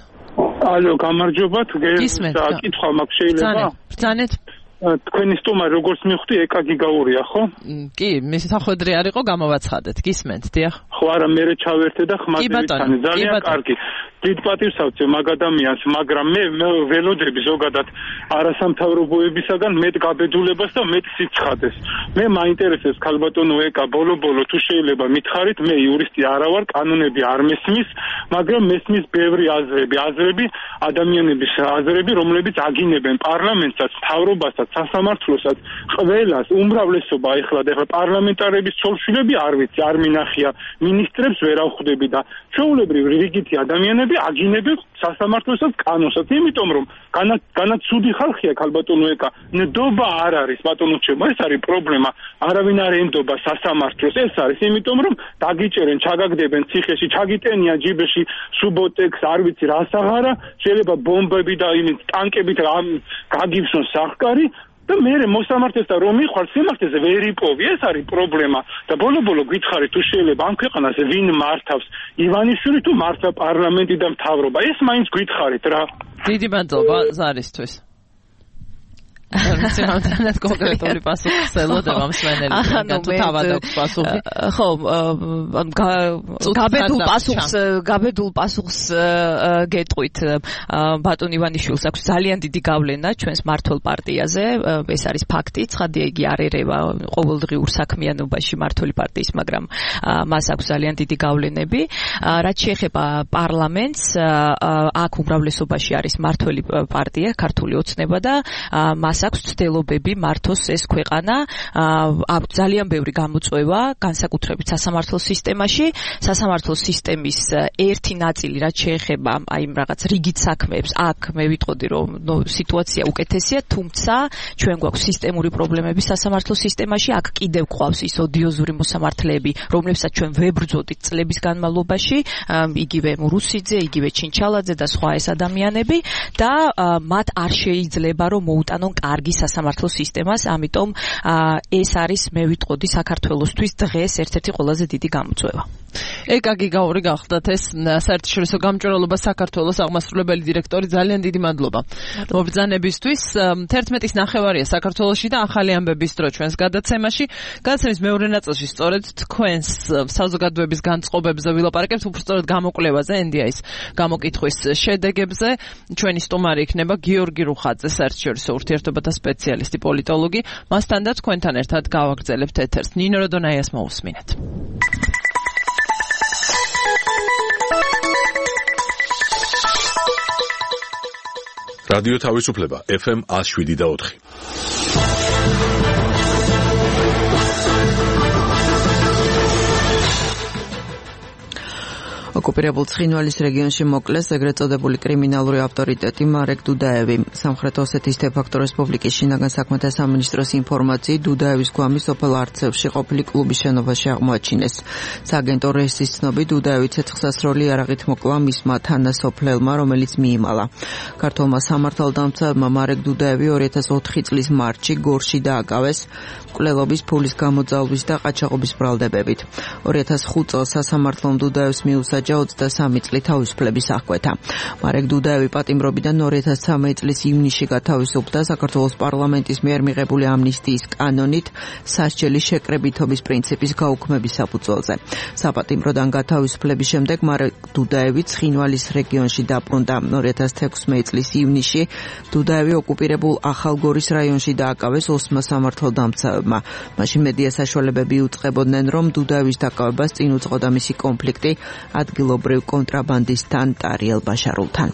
ალო, გამარჯობათ, გეკითხვა მაქვს შეიძლება? ბრძანეთ. თქვენი სტუმარი როგორც მივხვდი ეკაგიგაურია, ხო? კი, მისი სახვედრი არ იყო, გამოვაცხადეთ. გისმენთ, დიახ. ხო, არა, მე ჩავერთე და ხმაზე ძალიან კარგი. დიდ პატივს ავწევ მაგ ადამიანს, მაგრამ მე ველოდები ზოგადად არასამთავრობოებისაგან მეტ გაბედულებას და მეტ სიცხადეს. მე მაინტერესებს ქალბატონო ეკა ბოლო-ბოლო თუ შეიძლება მითხარით, მე იურისტი არა ვარ, კანონები არ მესმის, მაგრამ მესმის ბევრი აზრები, აზრები ადამიანების აზრები, რომლებიც აგინებენ პარლამენტსაც, მთავრობასაც, სასამართლოსაც, ყველას, უმრავლესობა ეხლა და ეხლა პარლამენტარების ცოლ-შვილები არ ვიცი, არ მინახია, მინისტრებს ვერ ავხვდები და ჩვეულებრივ რიგითი ადამიანები აგინებენ სასამართლოსაც, კანონსაც, იმიტომ რომ განაცუდი ხალხია ქალბატონო ეკა, ნდობა არ არის ბატონო ჩემო, ეს არის პრობლემა, არავინ არ ენდობა სასამართლოს, ეს არის, იმიტომ რომ დაგიჭერენ, ჩაგაგდებენ ციხეში, ჩაგიტენიან ჯიბეში სუბოტექს, არ ვიცი რა საღარა, შეიძლება ბომბები და იმით ტანკებით გაგივსონ სახკარი და მე მოსამართლესთან რომ მიხვალ სიმართლეზე ვერ იპოვი, ეს არის პრობლემა და ბოლო-ბოლო გითხარით თუ შეიძლება ამ ქვეყანას ვინ მართავს, ივანიშვილი თუ მართლა პარლამენტი და მთავრობა, ეს მაინც გითხარით რა. დიდი მადლობა ზარისთვის. რამდენად კონკრეტული პასუხს ელოდება მსმენელი თუ თავად აქვს პასუხი ხო გაბედულ პასუხს გაბედულ პასუხს გეტყვით ბატონ ივანიშვილს აქვს ძალიან დიდი გავლენა ჩვენს მართლ პარტიაზე ეს არის ფაქტი ცხადია იგი არ ერევა ყოველდღიურ საქმიანობაში მართლ პარტიის მაგრამ მას აქვს ძალიან დიდი გავლენები რაც შეეხება პარლამენტს აქ უმრავლესობაში არის მართველი პარტია ქართული ოცნება და მას აქვს ცდილობები მართოს ეს ქვეყანა ძალიან ბევრი გამოწვევა განსაკუთრებით სასამართლო სისტემაში სასამართლო სისტემის ერთი ნაწილი რაც შეეხება აი რაღაც რიგით საქმეებს აქ მე ვიტყოდი რომ ნუ სიტუაცია უკეთესია თუმცა ჩვენ გვაქვს სისტემური პრობლემები სასამართლო სისტემაში აქ კიდევ გვყავს ის ოდიოზური მოსამართლეები რომლებსაც ჩვენ ვებრძოდით წლების განმავლობაში იგივე მურუსიძე იგივე ჩინჩალაძე და სხვა ეს ადამიანები და მათ არ შეიძლება რომ მოუტანონ კარგი სასამართლო სისტემას ამიტომ ეს არის მე ვიტყოდი საქართველოსთვის დღეს ერთ-ერთი ყველაზე დიდი გამოწვევა ეკაგი გაური გახდათ ეს საერთაშორისო გამჭვირვალობა საქართველოს აღმასრულებელი დირექტორი ძალიან დიდი მადლობა მობრძანებისთვის თერთმეტის ნახევარია საქართველოში და ახალი ამბების დრო ჩვენს გადაცემაში გადაცემის მეორე ნაწილში სწორედ თქვენს საზოგადოების განწყობებზე ვილაპარაკებთ უბრალოდ გამოკვლევაზე ენ დი აის გამოკითხვის შედეგებზე ჩვენი სტუმარი იქნება გიორგი რუხაძე საერთაშორისო ურთიერთობათა სპეციალისტი პოლიტოლოგი მასთან და თქვენთან ერთად გავაგრძელებთ ეთერს ნინო როდონაიას მოусმინეთ რადიო თავისუფლება ეფ ემ one oh seven და four ოკუპირებულ ცხინვალის რეგიონში მოკლეს ეგრეთ წოდებული კრიმინალური ავტორიტეტი მარეკ დუდაევი. სამხრეთ ოსეთის დე-ფაქტო რესპუბლიკის შინაგან საქმეთა სამინისტროს ინფორმაციით დუდაევის გვამი სოფელ არცევში ყოფილი კლუბის შენობაში აღმოაჩინეს. სააგენტო რესის ცნობით დუდაევი ცეცხლსასროლი იარაღით მოკლა მისმა თანასოფლელმა, რომელიც მიიმალა. ქართულმა სამართალდამცავმა მარეკ დუდაევი two thousand four წლის მარტში გორში დააკავეს მკვლელობის ფულის გამოძალვის და ყაჩაღობის ბრალდებებით. two thousand five წელს სასამართლომ დუდაევს მიუსაჯა ოცდასამი წლი თავისუფლების აღკვეთა. მარეკ დუდაევი პატიმრობიდან two thousand thirteen წლის ივნისში გათავისუფლდა საქართველოს პარლამენტის მიერ მიღებული ამნისტიის კანონით სასჯელის შეკრებითობის პრინციპის გაუქმების საფუძველზე. საპატიმროდან გათავისუფლების შემდეგ მარეკ დუდაევი ცხინვალის რეგიონში დაბრუნდა. two thousand sixteen წლის ივნისში დუდაევი ოკუპირებულ ახალგორის რაიონში დააკავეს ოსმა სამართალდამცავებმა. მაშინ მედია საშუალებები უწყებოდნენ, რომ დუდაევის დაკავებას წინ უძღოდა მისი კონფლიქტი ადგილობრივ კონტრაბანდისტთან ტარიელ ბაშარულთან.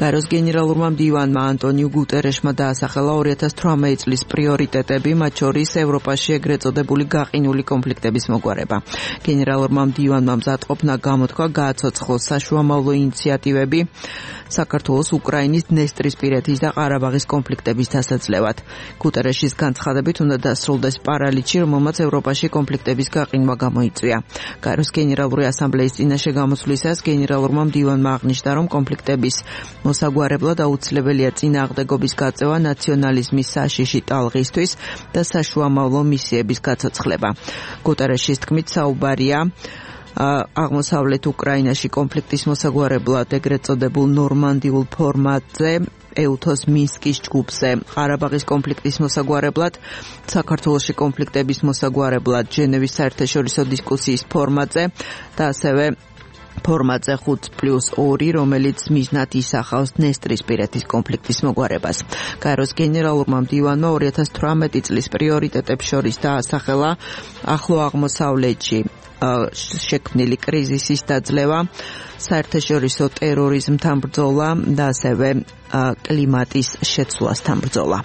გაეროს გენერალურმა მდივანმა ანტონიუ გუტერეშმა დაასახელა two thousand eighteen წლის პრიორიტეტები, მათ შორის ევროპაში ეგრეთ წოდებული გაყინული კონფლიქტების მოგვარება. გენერალურმა მდივანმა მზადყოფნა გამოთქვა გააცოცხლოს საშუამავლო ინიციატივები საქართველოს უკრაინის დნესტრისპირეთის და ყარაბაღის კონფლიქტების დასაძლევად. გუტერეშის განცხადებით უნდა დასრულდეს პარალიჩი, რომელმაც ევროპაში კონფლიქტების გაყინვა გამოიწვია. გაეროს გენერალური ასამბლეის წინაშე გამოსვლისას გენერალურმა მდივანმა აღნიშნა, რომ კონფლიქტების მოსაგვარებლად აუცილებელია წინააღმდეგობის გაწევა ნაციონალიზმის საშიში ტალღისთვის და საშუამავლო მისიების გაცოცხლება. გუტერეშის თქმით საუბარია აღმოსავლეთ უკრაინაში კონფლიქტის მოსაგვარებლად ეგრეთ წოდებულ ნორმანდიულ ფორმატზე ეუთოს მინსკის ჯგუფზე, ყარაბაღის კონფლიქტის მოსაგვარებლად, საქართველოში კონფლიქტების მოსაგვარებლად ჟენევის საერთაშორისო დისკუსიის ფორმატზე და ასევე ფორმატზე five plus two, რომელიც მიზნად ისახავს დნესტრისპირეთის კონფლიქტის მოგვარებას. გაეროს გენერალურმა მდივანმა two thousand eighteen წლის პრიორიტეტებს შორის დაასახელა ახლო აღმოსავლეთში შექმნილი კრიზისის დაძლევა, საერთაშორისო ტერორიზმთან ბრძოლა და ასევე კლიმატის შეცვლასთან ბრძოლა.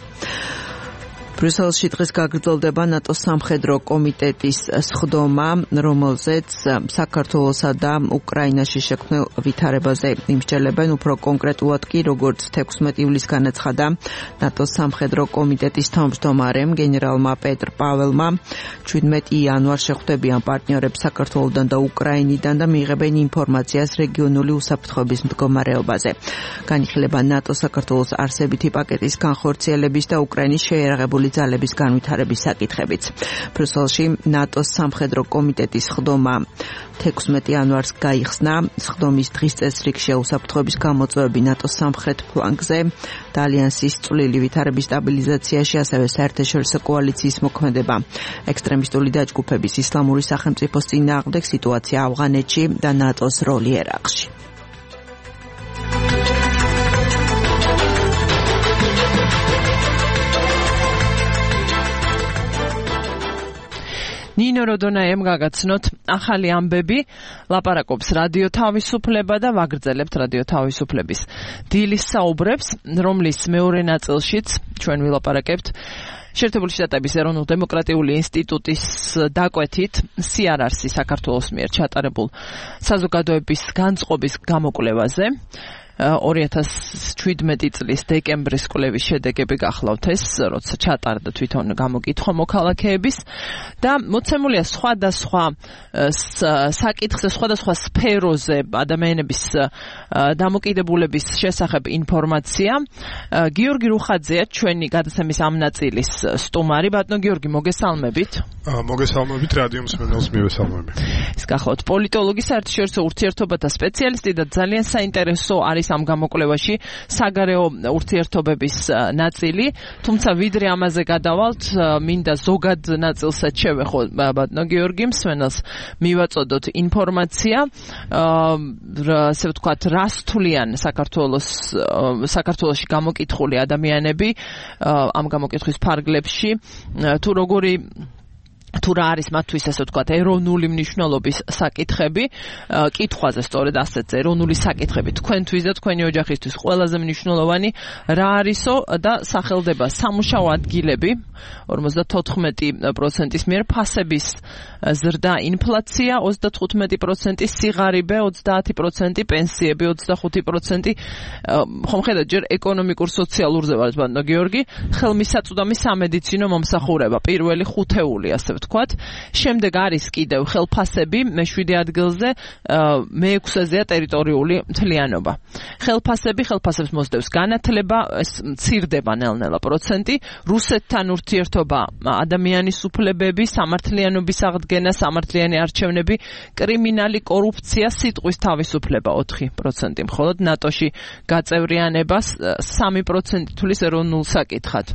ბრიუსელში დღეს გაგრძელდება ნატოს სამხედრო კომიტეტის სხდომა, რომელზეც საქართველოსა და უკრაინაში შექმნილ ვითარებაზე იმსჯელებენ. უფრო კონკრეტულად კი, როგორც sixteen ივლისს განაცხადა ნატოს სამხედრო კომიტეტის თავმჯდომარემ გენერალმა პეტრ პაველმა, seventeen იანვარს შეხვდებიან პარტნიორებს საქართველოსთან და უკრაინიდან და მიიღებენ ინფორმაციას რეგიონული უსაფრთხოების მდგომარეობაზე. განიხილება ნატო საქართველოს არსებითი პაკეტის განხორციელების და უკრაინის შეიარაღებული ძალების განვითარების საკითხებიც. ბრიუსელში ნატოს სამხედრო კომიტეტის ხდომა თექვსმეტი იანვარს გაიხსნა. ხდომის დღის წესრიგში უსაფრთხოების გამოწვევები ნატოს სამხრეთ ფლანგზე და ალიანსის წვლილი ვითარების სტაბილიზაციაში, ასევე საერთაშორისო კოალიციის მოქმედება, ექსტრემისტული დაჯგუფების, ისლამური სახელმწიფოს წინააღმდეგ სიტუაცია ავღანეთში და ნატოს როლი ერაყში. ნინო როდონაემ გაგაცნოთ ახალი ამბები, ლაპარაკობს რადიო თავისუფლება და ვაგრძელებთ რადიო თავისუფლების დილის საუბრებს, რომლის მეორე ნაწილშიც ჩვენ ვილაპარაკებთ შეერთებული შტატების ეროვნულ-დემოკრატიული ინსტიტუტის დაკვეთით სიარარსი საქართველოს მიერ ჩატარებულ საზოგადოების განწყობის გამოკვლევაზე. ორი ათას შვიდმეტი წლის დეკემბრის კვლევის შედეგები გახლავთ ეს, როცა ჩატარდა თვითონ გამოკითხვა მოქალაქეების და მოცემულია სხვადასხვა საკითხზე, სხვადასხვა სფეროზე ადამიანების დამოკიდებულების შესახებ ინფორმაცია. გიორგი რუხაძეა ჩვენი გადაცემის ამ ნაწილის სტუმარი. ბატონო გიორგი, მოგესალმებით. მოგესალმებით, რადიო მსმენელს მივესალმები. ეს გახლავთ პოლიტოლოგი, საერთაშორისო ურთიერთობათა სპეციალისტი და ძალიან საინტერესო არის ამ გამოკვლევაში საგარეო ურთიერთობების ნაწილი, თუმცა ვიდრე ამაზე გადავალთ, მინდა ზოგად ნაწილსაც შევეხო ბატონო გიორგი მსმენელს მივაწოდოთ ინფორმაცია, ასე ვთქვათ, რას თვლიან საქართველოს საქართველოში გამოკითხული ადამიანები ამ გამოკითხვის ფარგლებში, თუ როგორი თუ რა არის მათთვის ასე ვთქვათ ეროვნული მნიშვნელობის საკითხები, კითხვაზე სწორედ ასეთზე ეროვნული საკითხები თქვენთვის და თქვენი ოჯახისთვის ყველაზე მნიშვნელოვანი რა არისო და სახელდება სამუშაო ადგილები ორმოცდათოთხმეტი პროცენტის მიერ, ფასების ზრდა, ინფლაცია ოცდათხუთმეტი პროცენტი, სიღარიბე ოცდაათი პროცენტი, პენსიები ოცდახუთი პროცენტი. ხომ ხედავთ, ჯერ ეკონომიკურ სოციალურზე ვართ ბატონო გიორგი, ხელმისაწვდომი სამედიცინო მომსახურება, პირველი ხუთეული ასე ვთქვათ. შემდეგ არის კიდევ ხელფასები, მეშვიდე ადგილზე, მეექვსეზეა ტერიტორიული მთლიანობა. ხელფასები, ხელფასებს მოსდევს განათლება, ეს მცირდება ნელ-ნელა პროცენტი, რუსეთთან ურთიერთობა, ადამიანის უფლებები, სამართლიანობის აღდგენა, სამართლიანი არჩევნები, კრიმინალი, კორუფცია, სიტყვის თავისუფლება ოთხი პროცენტი, მხოლოდ ნატოში გაწევრიანებას სამი პროცენტი თulis ეროვნულ საკითხად.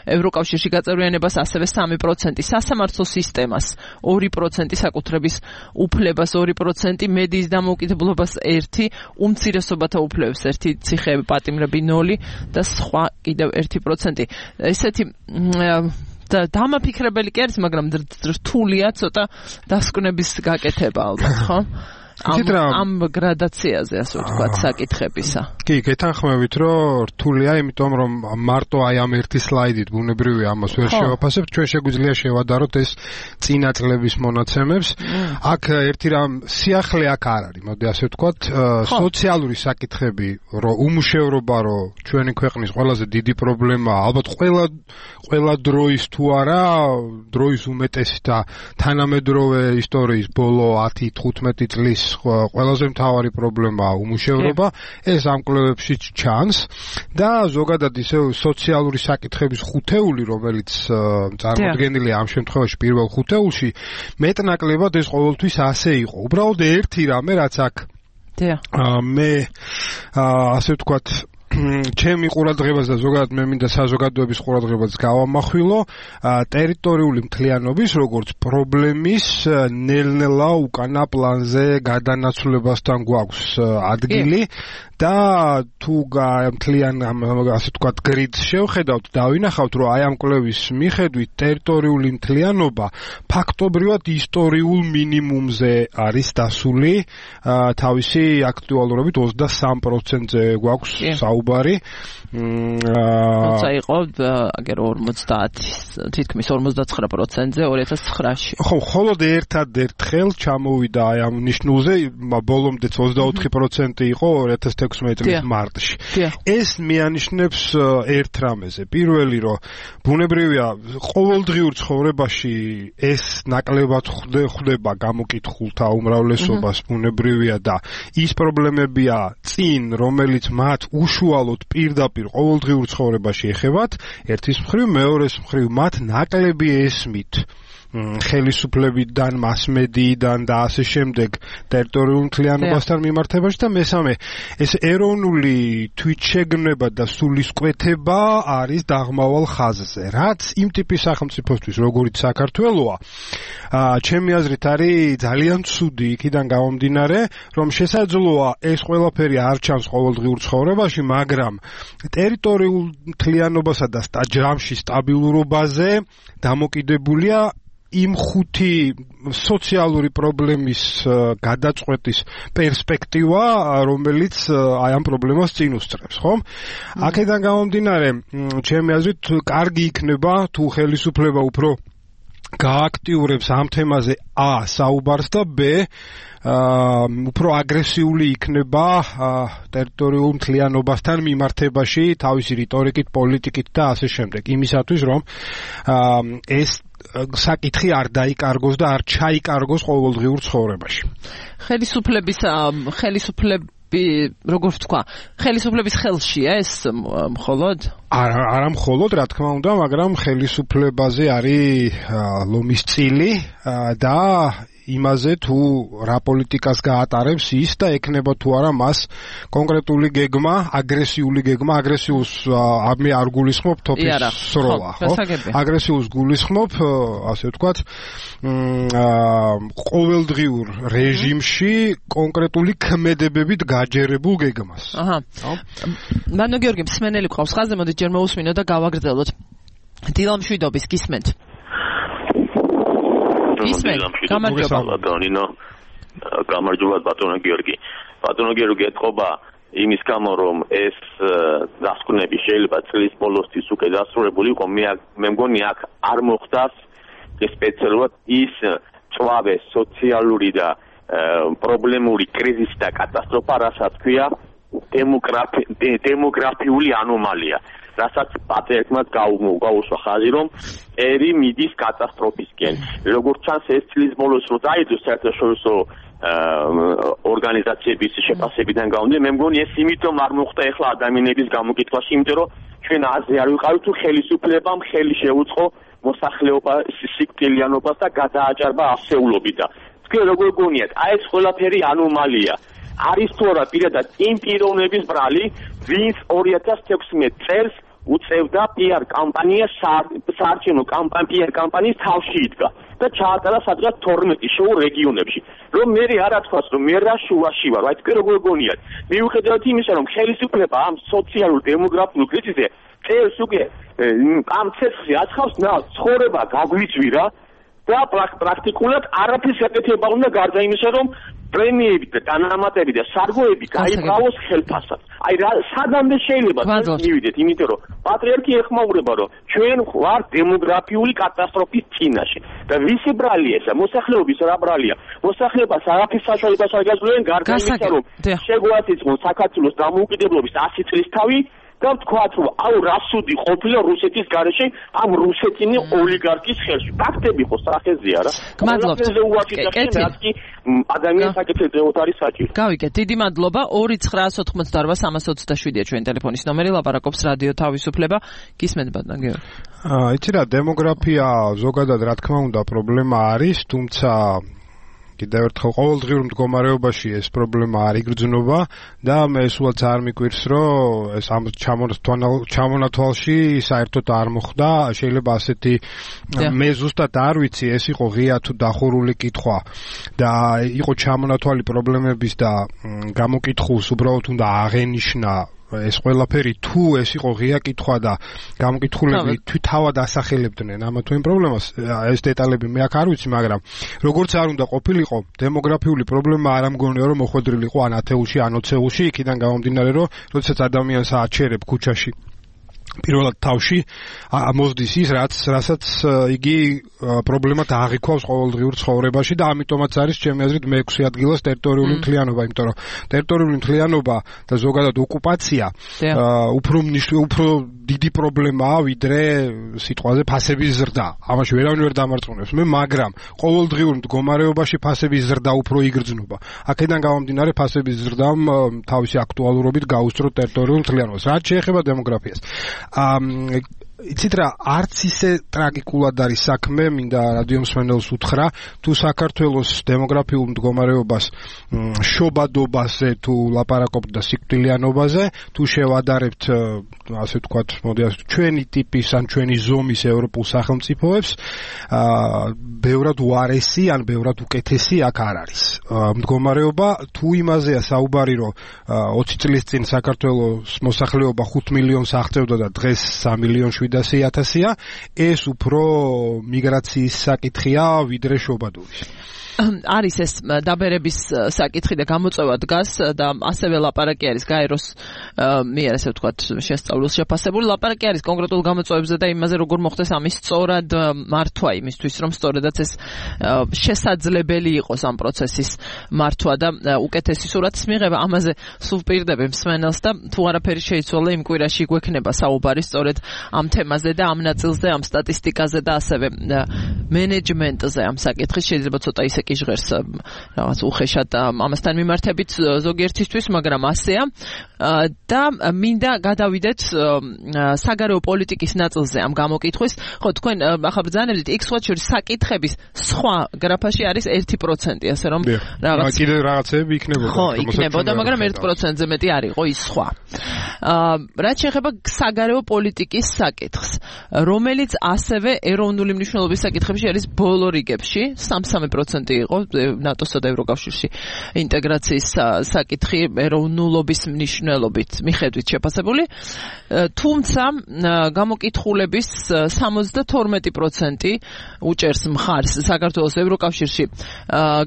ევროკავშირში გაწევრიანებას ასევე სამი პროცენტი, სასამართლო სისტემას ორი პროცენტი, საკუთრების უფლებას ორი პროცენტი, მედიის დამოუკიდებლობას ერთი, უმცირესობათა უფლებებს ერთი, ციხეები, პატიმრები ნული და სხვა კიდევ ერთი პროცენტი. ესეთი და დამაფიქრებელი კი არის, მაგრამ რთულია ცოტა დასკვნების გაკეთება ალბათ, ხო? ამ გრადაციაზე ასე ვთქვათ საკითხებისა. კი, გეთანხმებით, რომ რთულია, იმიტომ რომ მარტო აი ამ ერთი სლაიდით ბუნებრივია ამას ვერ შევაფასებთ, ჩვენ შეგვიძლია შევადაროთ ეს წინა წლების მონაცემებს. აქ ერთი რამ სიახლე აქ არ არის, მოდი ასე ვთქვათ, სოციალური საკითხები, რომ უმუშევრობა, რომ ჩვენი ქვეყნის ყველაზე დიდი პრობლემაა, ალბათ ყველა ყველა დროის თუ არა, დროის უმეტესი და თანამედროვე ისტორიის ბოლო ათი თხუთმეტი წლის ყველაზე მთავარი პრობლემაა უმუშევრობა, ეს ამ კვლევებში ჩანს და ზოგადად ისე სოციალური საკითხების ხუთეული, რომელიც წარმოდგენილია ამ შემთხვევაში პირველ ხუთეულში, მეტნაკლებად ეს ყოველთვის ასე იყო. უბრალოდ ერთი რამე, რაც აქ მე ასე ვთქვათ ჩემი ყურადღებას და ზოგადად მე მინდა საზოგადოების ყურადღებას გავამახვილო ტერიტორიული მთლიანობის როგორც პრობლემის ნელ-ნელა უკანა პლანზე გადანაცვლებასთან გვაქვს ადგილი და თუ მთლიან ასე ვთქვათ გრიდს შევხედავთ და ვინახავთ რომ აი ამ კვლევის მიხედვით ტერიტორიული მთლიანობა ფაქტობრივად ისტორიულ მინიმუმზე არის დასული, თავისი აქტუალურობით ოცდასამ პროცენტზე გვაქვს საუბარი. როცა იყო აგერ ორმოცდაათი თითქმის ორმოცდაცხრა პროცენტზე ორი ათას ცხრაში. ხო, მხოლოდ ერთადერთხელ ჩამოვიდა აი ამ ნიშნულზე, ბოლომდეც ოცდაოთხი პროცენტი იყო ორი ათას ოცდამექვსმეტი წლის მარტში. ეს მიანიშნებს ერთ რამეზე. პირველი, რომ ბუნებრივია ყოველდღიურ ცხოვრებაში ეს ნაკლებად ხდება გამოკითხულთა უმრავლესობას ბუნებრივია და ის პრობლემებია წინ, რომელიც მათ უშუალოდ პირდაპირ ყოველდღიურ ცხოვრებაში ეხებათ, ერთის მხრივ, მეორეს მხრივ მათ ნაკლები ესმით ხელისუფლებიდან, მასმედიიდან და ასე შემდეგ ტერიტორიულ მთლიანობასთან მიმართებაში და მესამე ეს ეროვნული თვითშეგნება და სულისკვეთება არის დაღმავალ ხაზზე, რაც იმ ტიპის სახელმწიფოსთვის, როგორიც საქართველოა, ჩემი აზრით არის ძალიან ცუდი იქიდან გამომდინარე, რომ შესაძლოა ეს ყველაფერი არ ჩანს ყოველდღიურ ცხოვრებაში, მაგრამ ტერიტორიულ მთლიანობასა და ჯამში სტაბილურობაზე დამოკიდებულია იმ ხუთი სოციალური პრობლემის გადაწყვეტის პერსპექტივა, რომელიც აი ამ პრობლემას წინ უსწრებს, ხო? აქედან გამომდინარე, ჩემი აზრით, კარგი იქნება თუ ხელისუფლება უფრო გააქტიურებს ამ თემაზე ა საუბარს და ბ აა უფრო აგრესიული იქნება ტერიტორიულ მთლიანობასთან მიმართებაში თავისი რიტორიკით, პოლიტიკით და ასე შემდეგ. იმისათვის, რომ ეს საკითხი არ დაიკარგოს და არ ჩაიკარგოს ყოველდღიურ ცხოვრებაში. ხელისუფლების ხელისუფლები, როგორ ვთქვა, ხელისუფლების ხელშია ეს მხოლოდ? არა, არა მხოლოდ, რა თქმა უნდა, მაგრამ ხელისუფლებაზე არის ლომის წილი და იმაზე თუ რა პოლიტიკას გაატარებს ის და ეკნება თუ არა მას კონკრეტული გეგმა, აგრესიული გეგმა, აგრესიულს მე არ გულისხმობ თოფის სროლა, ხო? აგრესიულს გულისხმობ, ასე ვთქვათ, ყოველდღიურ რეჟიმში კონკრეტული ქმედებებით გაჯერებულ გეგმას. აჰა. მანო გიორგი, მსმენელი ყავს ხაზზე, მოდით ჯერ მოусმინოთ და გავაგრძელოთ. დილამშვიდობის გისმენთ. გამარჯობა დონინო, გამარჯობა ბატონო გიორგი. ბატონო გიორგი, ეთყობა იმის გამო, რომ ეს დასკვნები შეიძლება წლის ბოლოსთვის უკვე დასრულებული იყო, მე მე მგონი აქ არ მოხდას სპეციალურად ის წვავე სოციალური და პრობლემური კრიზისი და კატასტროფა, რასაც ქვია დემოგრაფიული ანომალია. რასაც პატრიარქმა გაუსვა ხაზი, რომ ერი მიდის კატასტროფისკენ. როგორც ჩანს, ეს წლის ბოლოს რო დაიდოს საერთაშორისო ორგანიზაციების შეფასებიდან გამომდინარე, მე მგონი ეს იმიტომ არ მოხდა ეხლა ადამიანების გამოკითხვაში, იმიტომ რომ ჩვენ აზე არ ვიყავით თუ ხელისუფლებამ ხელი შეუწყო მოსახლეობას სიკვდილიანობას და გადააჭარბა ასეულობით და თქვენ როგორ გონიათ, აი ეს ყველაფერი ანომალია. არის თუ არა პირადად იმ პიროვნების ბრალი, ვინც ორი ათას თექვსმეტ წელს უწევდა პიარ კამპანიას, საარჩევნო კამპანია პიარ კამპანიის თავში იდგა და ჩაატარა სადღაც თორმეტი შოუ რეგიონებში. რომ მე არ ათქვას, რომ მე რა შუაში ვარ, აი თქვენ როგორ გონიათ. მიუხედავად იმისა, რომ ხელისუფლება ამ სოციალურ დემოგრაფიულ კრიზისზე წელს უკვე ამ ცეცხლზე აცხავს, ნა ცხოვრება გაგვიწვირა და პრაქტიკულად არაფერს ეკეთება უნდა გარდა იმისა, რომ პრემიები და დანამატები და სარგოები გაიყავოს ხელფასად. აი რა სადამდე შეიძლება მივიდეთ, იმიტომ რომ პატრიარქი ეხმაურება, რომ ჩვენ ვარ დემოგრაფიული კატასტროფის წინაშე. და ვისი ბრალია ესა? მოსახლეობის რა ბრალია? მოსახლეობას არაფერს საშუალებას არ გაძლევენ გარდა იმისა, რომ შეგვაწიწყონ საქართველოს დამოუკიდებლობის ასი წლის თავი და ვთქვათ, რომ აუ რა სუდი ყოფილა რუსეთის გარეშე ამ რუსეთინი ოლიგარქის ხელში. ფაქტები ხო სახეზეა რა. გმადლობთ. კეთილი. ადამიანის საკითხებზე ოთარი საჭირო. გავიგეთ, დიდი მადლობა. ორი ცხრაას ოთხმოცდაორვა სამას ოცდაშვიდია ჩვენ ტელეფონის ნომერი, ლაპარაკობს რადიო თავისუფლება. გისმენთ ბატონო გიორგი. აა, იცი რა, დემოგრაფია ზოგადად რა თქმა უნდა პრობლემა არის, თუმცა კიდევ ერთხელ ყოველდღიურ მდგომარეობაში ეს პრობლემა არ იგრძნობა და მე სულაც არ მიკვირს, რომ ეს ამ ჩამონათვალში საერთოდ არ მოხდა. შეიძლება ასეთი მე ზუსტად არ ვიცი, ეს იყო ღია თუ დახურული კითხვა და იყო ჩამონათვალი პრობლემების და გამოკითხულს უბრალოდ უნდა აღენიშნა ეს ყველაფერი, თუ ეს იყო ღია კითხვა და გამოკითხულები თავად ასახელებდნენ ამა თუ იმ პრობლემას, ეს დეტალები მე აქ არ ვიცი, მაგრამ როგორც არ უნდა ყოფილიყო, დემოგრაფიული პრობლემა არ ამგონია, რომ მოხვედრილიყო ან ათეულში, ან ოცეულში, იქიდან გამომდინარე, რომ როდესაც ადამიანს აჩერებ ქუჩაში პირველად თავში მოსდის ის რაც რასაც იგი პრობლემად აღიქვავს ყოველდღიურ ცხოვრებაში და ამიტომაც არის ჩემი აზრით მეექვსე ადგილას ტერიტორიული მთლიანობა, იმიტომ რომ ტერიტორიული მთლიანობა და ზოგადად ოკუპაცია უფრო უფრო დიდი პრობლემაა ვიდრე სიტყვაზე ფასების ზრდა. ამაში ვერავინ ვერ დამარცხუნებს მე, მაგრამ ყოველდღიურ მდგომარეობაში ფასების ზრდა უფრო იგრძნობა. აქედან გამომდინარე ფასების ზრდამ თავისი აქტუალურობით გაუსწრო ტერიტორიულ მთლიანობას. რაც შეეხება დემოგრაფიას. Um, იცით რა, არც ისე ტრაგიკულად არის საქმე, მინდა რადიო მსმენელს უთხრა, თუ საქართველოს დემოგრაფიულ მდგომარეობას შობადობაზე თუ ლაპარაკობთ და სიკვდილიანობაზე, თუ შევადარებთ, ასე ვთქვათ, მოდი ასე ჩვენი ტიპის ან ჩვენი ზომის ევროპულ სახელმწიფოებს, ბევრად უარესი ან ბევრად უკეთესი აქ არ არის. მდგომარეობა თუ იმაზეა საუბარი, რომ ოცი წლის წინ საქართველოს მოსახლეობა ხუთ მილიონს აღწევდა და დღეს სამი მილიონი შვიდასი ათასია, ეს უფრო მიგრაციის საკითხია ვიდრე შობადობის. არის ეს დაბერების საკითხი და გამოწვევა დგას და ასევე ლაპარაკი არის გაეროს მიერ ასე ვთქვათ შესწავლის შეფასებული ლაპარაკი არის კონკრეტულ გამოწვევებზე და იმაზე როგორ მოხდეს ამის სწორად მართვა იმისთვის რომ სწორედაც ეს შესაძლებელი იყოს ამ პროცესის მართვა და უკეთესი სურათის მიღება. ამაზე სულ ვპირდები მსმენელს და თუ არაფერი შეიცვალა იმ კვირაში გვექნება საუბარი სწორედ ამ თემაზე და ამ ნაწილზე, ამ სტატისტიკაზე და ასევე მენეჯმენტზე ამ საკითხის შეიძლება ცოტა ისე კი ჟღერს რაღაც უხეშად ამასთან მიმართებით ზოგიერთისთვის, მაგრამ ასეა და მინდა გადავიდეთ საგარეო პოლიტიკის ნაწილზე ამ გამოკითხვის. ხო, თქვენ ახლა ბრძანებდით იქ სხვა შორის საკითხების სხვა გრაფაში არის ერთი პროცენტი, ასე რომ რაღაც კიდე რაღაცები იქნებოდა. ხო, იქნებოდა, მაგრამ ერთ პროცენტზე მეტი არ იყო ის სხვა. რაც შეეხება საგარეო პოლიტიკის საკითხს, რომელიც ასევე ეროვნული მნიშვნელობის საკითხებში არის ბოლო რიგებში, სამი პროცენტი იყო ნატოსა და ევროკავშირში ინტეგრაციის საკითხი ეროვნულობის მნიშვნელობით მიხედვით შეფასებული, თუმცა გამოკითხულების სამოცდათორმეტი პროცენტი უჭერს მხარს საქართველოს ევროკავშირში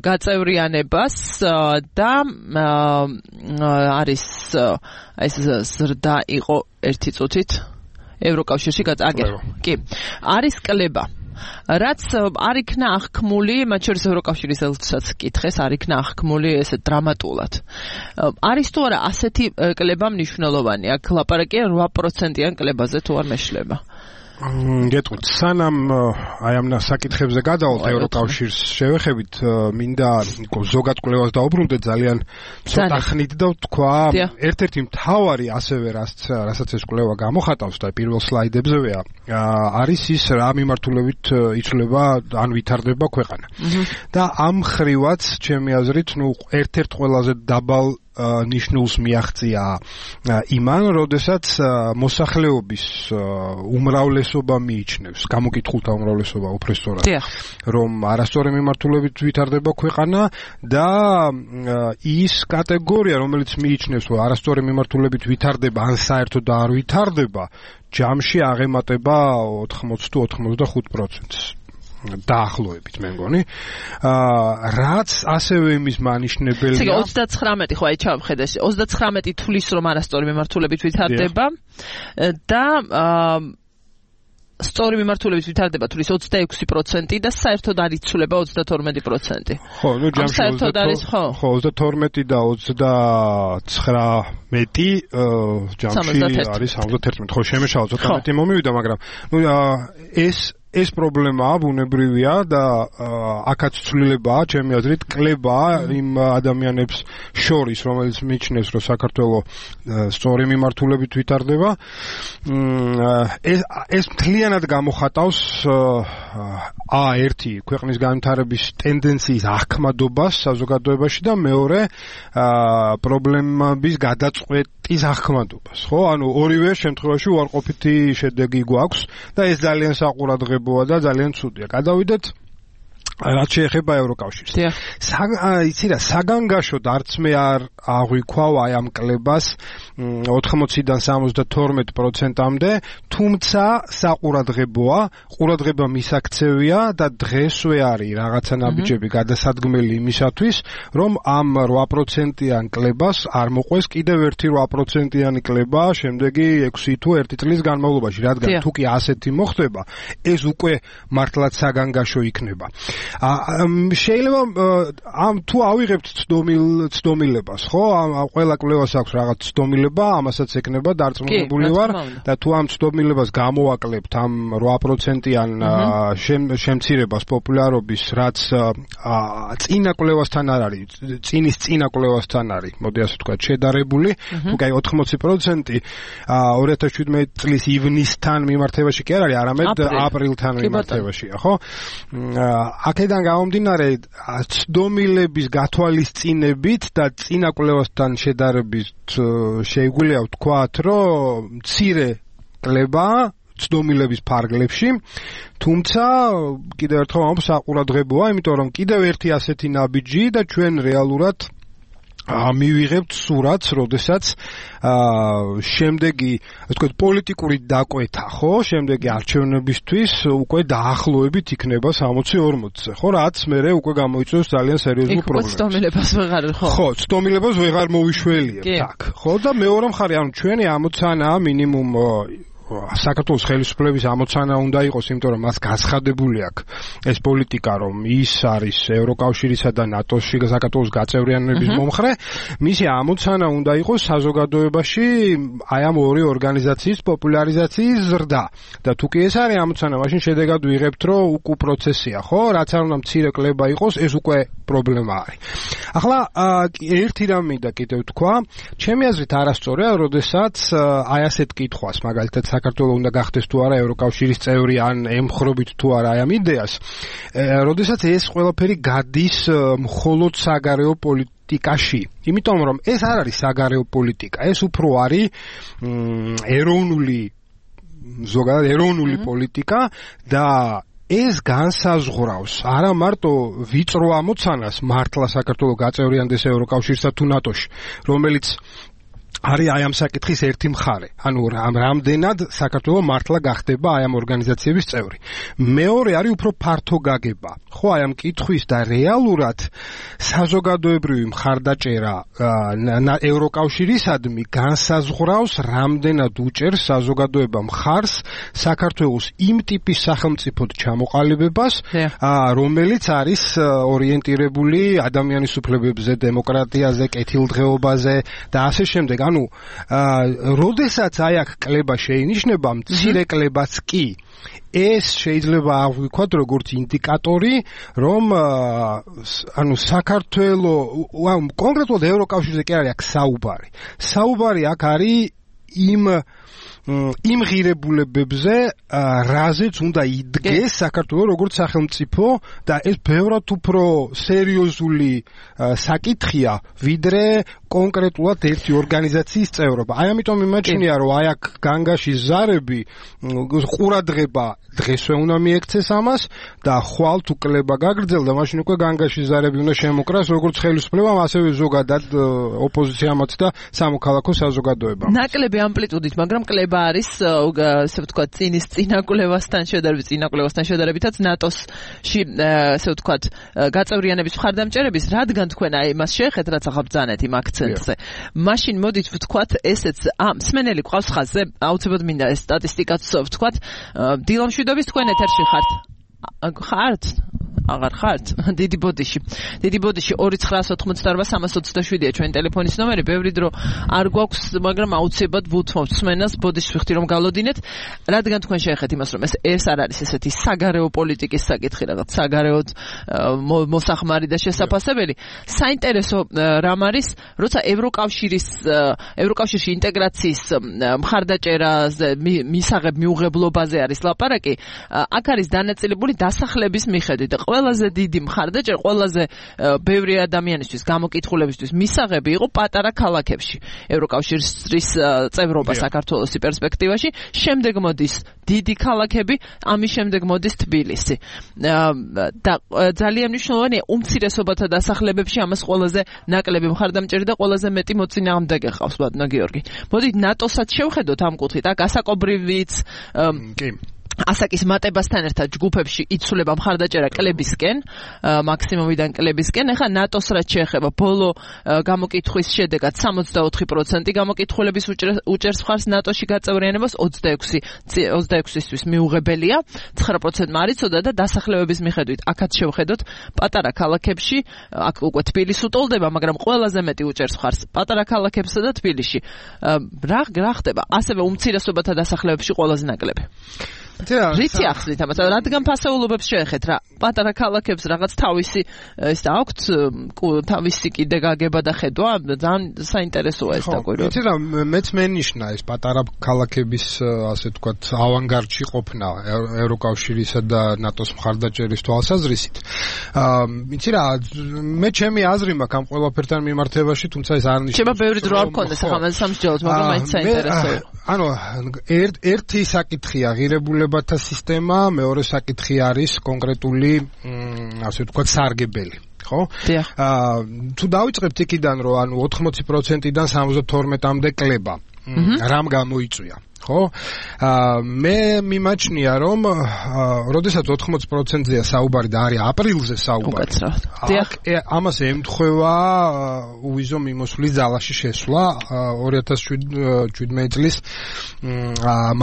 გაწევრიანებას და არის ეს ზრდა იყო ერთი წუთით ევროკავშირში გაწაგერ. კი, არის კლება რაც არ იქნა აღქმული, მათ შორის ევროკავშირის ელჩსაც კითხეს, არ იქნა აღქმული ესე დრამატულად. არის თუ არა ასეთი კლება მნიშვნელოვანი? აქ ლაპარაკია რვა პროცენტიან კლებაზე თუ არ მეშლება. გეტყვით, სანამ აი ამ საკითხებზე გადავალთ ევროკავშირს შევეხებით, მინდა ზოგად კვლევას დაუბრუნდეთ ძალიან ცოტა ხნით და ვთქვა, ერთ-ერთი მთავარი ასევე რასაც ეს კვლევა გამოხატავს და პირველ სლაიდებზეა, არის ის რა მიმართულებით იცვლება ან ვითარდება ქვეყანა. და ამ ხრივაც, ჩემი აზრით, ნუ ერთ-ერთ ყველაზე დაბალ ნიშნულს მიაღწია იმან, როდესაც მოსახლეობის უმრავლესობა მიიჩნევს, გამოკითხულთა უმრავლესობა უფრო სწორად, რომ არასწორი მიმართულებით ვითარდება ქვეყანა და ის კატეგორია, რომელიც მიიჩნევს, რომ არასწორი მიმართულებით ვითარდება ან საერთოდ არ ვითარდება, ჯამში აღემატება ოთხმოცი თუ ოცდახუთ პროცენტს. დაახლოებით მე მგონი. აა რაც ასევე იმის მანიშნებელია. ისე ოცდაცხრამეტი ხო აი ჩავხედე. ოცდაცხრამეტი თulis რომ არასწორი მიმართულებით ვითარდება და აა სწორი მიმართულებით ვითარდება თulis ოცდაექვსი პროცენტი და საერთოდ არ იცვლება ოცდათორმეტი პროცენტი. ხო, ნუ ჯამში საერთოდ არის ხო. ხო, ოცდათორმეტი და ოცდაცხრამეტი ჯამში არის სამოცდაერთმეტი. ხო, შემეშალა ცოტა მეტი მომივიდა, მაგრამ ნუ ეს ეს პრობლემაა ბუნებრივია და აქაც ცვლილებაა, ჩემი აზრით, კლებაა იმ ადამიანებს შორის, რომელიც მიიჩნევს, რომ საქართველოს სწორი მიმართულებით ვითარდება. ეს ეს მთლიანად გამოხატავს ა ერთი ქვეყნის განვითარების ტენდენციის აღქმადობას საზოგადოებაში და მეორე პრობლემების გადაწყვეტის აღქმადობას, ხო? ანუ ორივე შემთხვევაში უარყოფითი შედეგი გვაქვს და ეს ძალიან საყურადღებოა და ძალიან ცუდია. გადავიდეთ რაც შეეხება ევროკავშირს. იცი რა, საგანგაშოდ არც მე არ აღვიქვავ აი ამ კლებას ოთხმოციდან სამოცდათორმეტ პროცენტამდე, თუმცა საყურადღებოა, ყურადღება მისაქცევია და დღესვე არის რაღაცა ნაბიჯები გადასადგმელი იმისათვის, რომ ამ რვა პროცენტიან კლებას არ მოყვეს კიდევ ერთი რვა პროცენტიანი კლება შემდეგი ექვსი თუ ერთი წლის განმავლობაში, რადგან თუ კი ასეთი მოხდება, ეს უკვე მართლაც საგანგაშო იქნება. შეიძლება ამ თუ ავიღებთ ცდომილებას, ხო? ამ ყველა კლევას აქვს რაღაც ცდომილება, ამასაც ეკნება დარწმუნებული ვარ და თუ ამ ცდომილებას გამოვაკლებთ ამ რვა პროცენტიან შემცირებას პოპულარობის, რაც წინა კლევასთან არ არის, წინის წინა კლევასთან არის, მოდი ასე ვთქვათ, შედარებული, თუ კი ოთხმოცი პროცენტი ორი ათას შვიდმეტი წლის ივნისთან მიმართებაში კი არ არის, არამედ აპრილთან მიმართებაშია, ხო? აქედან გამომდინარე, ცდომილების გათვალისწინებით და წინა კვლევასთან შედარებით შეგვიძლია ვთქვათ, რომ მცირე კლება ცდომილების ფარგლებში, თუმცა კიდევ ერთხელ ამ საყურადღებოა, იმიტომ რომ კიდევ ერთი ასეთი ნაბიჯი და ჩვენ რეალურად მივიღებთ სურათს, როდესაც შემდეგი, ასე ვთქვათ, პოლიტიკური დაკვეთა, ხო, შემდეგი არჩევნებისთვის უკვე დაახლოებით იქნება სამოცი ორმოცზე, ხო, რაც მერე უკვე გამოიწვევს ძალიან სერიოზულ პრობლემას. ცდომილებას ვეღარ ხო? ხო, ცდომილებას ვეღარ მოვიშველიებთ, აქ. ხო, და მეორე მხარე, ანუ ჩვენი ამოცანაა მინიმუმ საქართველოს ხელისუფლების ამოცანა უნდა იყოს, იმიტომ რომ მას გაცხადებული აქვს ეს პოლიტიკა, რომ ის არის ევროკავშირისა და ნატოში საქართველოს გაწევრიანების მომხრე, მისი ამოცანა უნდა იყოს საზოგადოებაში აი ამ ორი ორგანიზაციის პოპულარიზაციის ზრდა. და თუ კი ეს არის ამოცანა, მაშინ შედეგად ვიღებთ, რომ უკუ პროცესია, ხო? რაც არ უნდა მცირე კლება იყოს, ეს უკვე პრობლემა არის. ახლა ერთი რამ მინდა კიდევ თქვა, ჩემი აზრით არასწორია, როდესაც აი ასეთ კითხვას, მაგალითად საქართველოს უნდა გახდეს თუ არა ევროკავშირის წევრი, ან ემხრობით თუ არა აი ამ იდეას, როდესაც ეს ყველაფერი გადის მხოლოდ საგარეო პოლიტიკაში. იმიტომ რომ ეს არ არის საგარეო პოლიტიკა, ეს უფრო არის ეროვნული ზოგადად ეროვნული პოლიტიკა და ეს განსაზღვრავს არა მარტო ვიწრო ამოცანას მართლა საქართველოს გაწევრიანდეს ევროკავშირსა თუ ნატოში, რომელიც არის აი ამ საკითხის ერთი მხარე. ანუ რამდენად საქართველოს მართლა გახდება აი ამ ორგანიზაციების წევრი. მეორე არის უფრო ფართო გაგება. ხო, აი ამ კითხვის და რეალურად საზოგადოებრივი მხარდაჭერა ევროკავშირისადმი განსაზღვრავს, რამდენად უჭერს საზოგადოება მხარს საქართველოს იმ ტიპის სახელმწიფოდ ჩამოყალიბებას, რომელიც არის ორიენტირებული ადამიანის უფლებებზე, დემოკრატიაზე, კეთილდღეობაზე და ასე შემდეგ. ანუ როდესაც აი აქ კლება შეინიშნება, მცირე კლებაც კი, ეს შეიძლება აღვიქვათ როგორც ინდიკატორი, რომ ანუ საქართველოს კონკრეტულად ევროკავშირზე კი არის აქ საუბარი. საუბარი აქ არის იმ იმ ღირებულებებზე, რაზეც უნდა იდგეს საქართველოს როგორც სახელმწიფო და ეს ბევრად უფრო სერიოზული საკითხია, ვიდრე კონკრეტულად ერთი ორგანიზაციის წევრობა. აი ამიტომ იმაჩნია, რომ აი აქ განგაშის ზარები ყურადღება დღესვე უნდა მიექცეს ამას და ხვალ თუ კლება გაგრძელდა, მაშინ უკვე განგაშის ზარები უნდა შემოკრას როგორც ხელისუფლებამ, ასევე ზოგადად ოპოზიციამაც და სამოქალაქო საზოგადოებამ. ნაკლები ამპლიტუდით, მაგრამ კლება არის, ასე ვთქვათ, წინის წინა კვლევასთან შედარებით, წინა კვლევასთან შედარებითაც ნატოსში, ასე ვთქვათ, გაწევრიანების მხარდამჭერების, რადგან თქვენ აი მას შეეხეთ, რაც ახლა ბრძანეთ იმ აქცენტზე. მაშინ მოდით ვთქვათ, ესეც ამ მსმენელი ყავს ხაზზე, აუცილებლად მინდა ეს სტატისტიკაც ვთქვათ, დილამშვიდობის თქვენ ეთერში ხართ. ხართ? აღარ ხართ? დიდი ბოდიში. დიდი ბოდიში ორი ცხრაას ოთხმოცდაორბა სამას ოცდაშვიდია ჩვენი ტელეფონის ნომერი. ბევრი დრო არ გვაქვს, მაგრამ აუცილებლად ვუთმობთ მსმენელს ბოდიშს ვიხდი რომ გალოდინეთ. რადგან თქვენ შეეხეთ იმას, რომ ეს ეს არ არის ესეთი საგარეო პოლიტიკის საკითხი, რაღაც საგარეოდ მოსახმარი და შესაფასებელი. საინტერესო რამ არის, როცა ევროკავშირის ევროკავშირში ინტეგრაციის მხარდაჭერაზე, მისაღებ მიუღებლობაზე არის ლაპარაკი, აქ არის დანაწილებული დასახლების მიხედვით. ყველაზე დიდი მხარდაჭერა, ყველაზე ბევრი ადამიანისთვის გამოკითხულებისთვის მისაღები იყო პატარა ქალაქებში. ევროკავშირის წევრობა საქართველოს პერსპექტივაში, შემდეგ მოდის დიდი ქალაქები, ამის შემდეგ მოდის თბილისი. და ძალიან მნიშვნელოვანია უმცირესობათა დასახლებებში ამას ყველაზე ნაკლები მხარდამჭერი და ყველაზე მეტი მოწინააღმდეგე ყავს ბატონო გიორგი. მოდით ნატოსაც შევხედოთ ამ კუთხით, აქ ასაკობრივიც კი ასაკის მატებასთან ერთად ჯგუფებში იცვლება მხარდაჭერა კლებისკენ, მაქსიმუმიდან კლებისკენ. ეხლა ნატოს რაც შეეხება, ბოლო გამოკითხვის შედეგად სამოცდაოთხი პროცენტი გამოკითხულების უჭერს მხარს ნატოში გაწევრიანებას, ოცდაექვსისთვის მიუღებელია, ცხრა პროცენტმა არ იცოდა და დასახლებების მიხედვით აქაც შევხედოთ, პატარა ქალაქებში, აქ უკვე თბილისი უტოლდება, მაგრამ ყველაზე მეტი უჭერს მხარს პატარა ქალაქებსა და თბილისში. რა რა ხდება? ასევე უმცირესობათა დასახლებებში ყველაზე ნაკლები. რითი ახსნით ამას? რადგან ფასეულობებს შეეხეთ რა? პატარა ქალაქებს რაღაც თავისი ის და აქვთ თავისი კიდე გაგება და ხედვა, ძალიან საინტერესოა ეს დაკვირვება. იცი რა, მეც მენიშნა ეს პატარა ქალაქების ასე ვთქვათ ავანგარდში ყოფნა ევროკავშირისა და ნატოს მხარდაჭერის თვალსაზრისით. იცი რა, მე ჩემი აზრი მაქვს ამ ყველაფერთან მიმართებაში, თუმცა ეს არ ნიშნავს. შეიძლება ბევრი დრო არ მქონდეს ახლა მას სამსჯელოდ, მაგრამ მაინც საინტერესოა. ანუ ერთი საკითხია ღირებულებათა სისტემა, მეორე საკითხი არის კონკრეტული ასე ვთქვათ სარგებელი. ხო? აა თუ დავიწყებთ იქიდან, რომ ანუ ოთხმოცი პროცენტიდან სამოცდათორმეტამდე კლება. რამ გამოიწვია? ხო? აა მე მიმაჩნია, რომ როდესაც ოთხმოცი პროცენტზეა საუბარი და არის აპრილზე საუბარი. დიახ, ამას ემთხვევა უვიზო მიმოსვლის ძალაში შესვლა ორი ათას შვიდმეტი წლის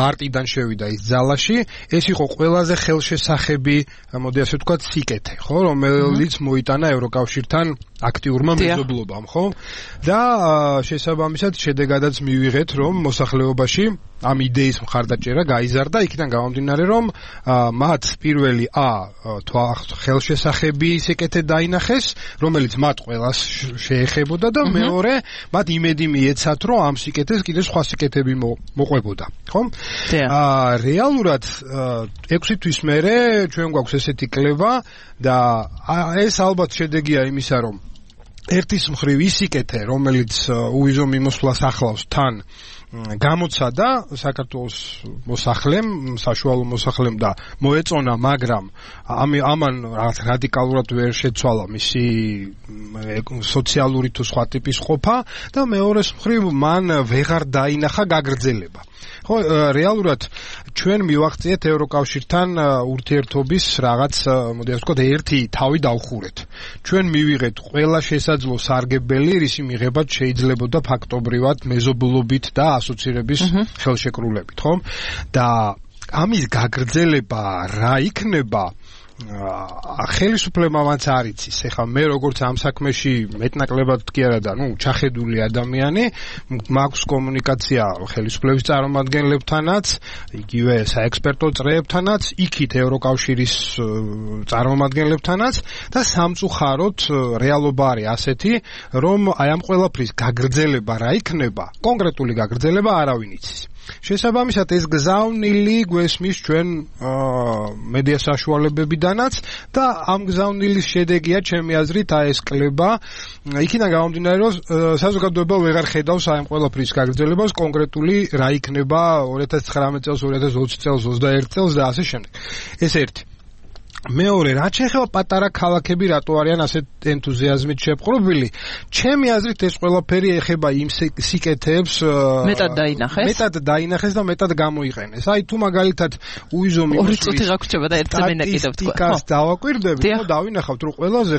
მარტიდან შევიდა ის ძალაში. ეს იყო ყველაზე ხელშესახები, მოდი ასე ვთქვათ, სიკეთე, ხო, რომელიც მოიტანა ევროკავშირთან აქტიურმა მეზობლობამ, ხო? და შესაბამისად შედეგადაც მივიღეთ, რომ მოსახლეობაში ამ იდეის მხარდაჭერა გაიზარდა, იქიდან გამომდინარე, რომ მათ პირველი ა ხელშესახები სიკეთე დაინახეს, რომელიც მათ ყველას შეეხებოდა და მეორე მათ იმედი მიეცათ, რომ ამ სიკეთეს კიდევ სხვა სიკეთები მოყვებოდა, ხო? აა რეალურად ექვსი თვის მერე ჩვენ გვაქვს ესეთი კლება და ეს ალბათ შედეგია იმისა, რომ ერთის მხრივ ისიკეთე, რომელიც უვიზო მიმოსვლას ახლავს თან გამოცადა საქართველოს მოსახლემ, საშუალო მოსახლემ და მოეწონა, მაგრამ ამან რადიკალურად ვერ შეცვალა მისი სოციალური თუ სხვა ტიპის ყოფა და მეორეს მხრივ მან ვეღარ დაინახა გაგრძელება. ხო, რეალურად ჩვენ მივახციეთ ევროკავშირთან ურთიერთობის რაღაც, მოდი ასე ვთქვათ, ერთი თავი დავხურეთ. ჩვენ მივიღეთ ყველა შესაძლო სარგებელი, რისი მიღებაც შეიძლებოდა ფაქტობრივად მეზობლობით და ასოცირების ხელშეკრულებით, ხო? და ამის გაგრძელება რა იქნება? ხელისუფლებამაც არ იცის. ეხლა მე როგორც ამ საქმეში მეტნაკლებად კი არა და ნუ ჩახედული ადამიანი, მაქვს კომუნიკაცია ხელისუფლების წარმომადგენლებთანაც, იგივე საექსპერტო წრეებთანაც, იქით ევროკავშირის წარმომადგენლებთანაც და სამწუხაროდ რეალობა არის ასეთი, რომ აი ამ ყველაფრის გაგრძელება რა იქნება, კონკრეტული გაგრძელება არავინ იცის. შესაბამისად ეს გზავნილი გვესმის ჩვენ მედია საშუალებებიდანაც და ამ გზავნილის შედეგია ჩემი აზრით აი ეს კლება, იქიდან გამომდინარე, რომ საზოგადოება ვეღარ ხედავს აი ამ ყველაფრის გაგრძელებას, კონკრეტული რა იქნება ორი ათას ცხრამეტ წელს, ორი ათას ოცი წელს, ოცდაერთი წელს და ასე შემდეგ. ეს ერთი. მეორე, რაც შეეხება პატარა ქალაქები, რატო არიან ასეთ ენთუზიაზმით შეპყრობილი? ჩემი აზრით ეს ყველაფერი ეხება იმ სიკეთეებს მეტად დაინახეს. მეტად დაინახეს და მეტად გამოიყენეს. აი თუ მაგალითად უიზო მიმოსვლის ორი წუთი გაგვჭირდება და ერთ წამენა კიდევ თქვა. სტატისტიკას დავაკვირდებით, ხო, დავინახავთ, რომ ყველაზე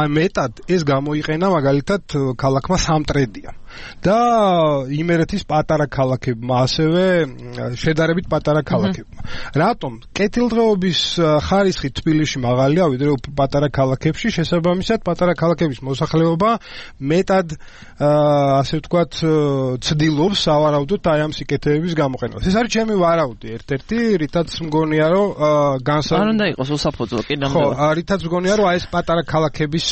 მეტად ეს გამოიყენა მაგალითად ქალაქმა სამტრედია. და იმერეთის პატარა ქალაქებმა, ასევე შედარებით პატარა ქალაქებმა. რატომ? კეთილდღეობის ხარისხი თბილისში მაღალია, ვიდრე პატარა ქალაქებში, შესაბამისად პატარა ქალაქების მოსახლეობა მეტად ასე ვთქვათ ცდილობს სავარაუდოდ აი ამ სიკეთეების გამოყენებას. ეს არის ჩემი ვარაუდი ერთ-ერთი, რითაც მგონია, რომ განსა არ უნდა იყოს უსაფუძვლო კი ნამდვილად. ხო, რითაც მგონია, რომ აი ეს პატარა ქალაქების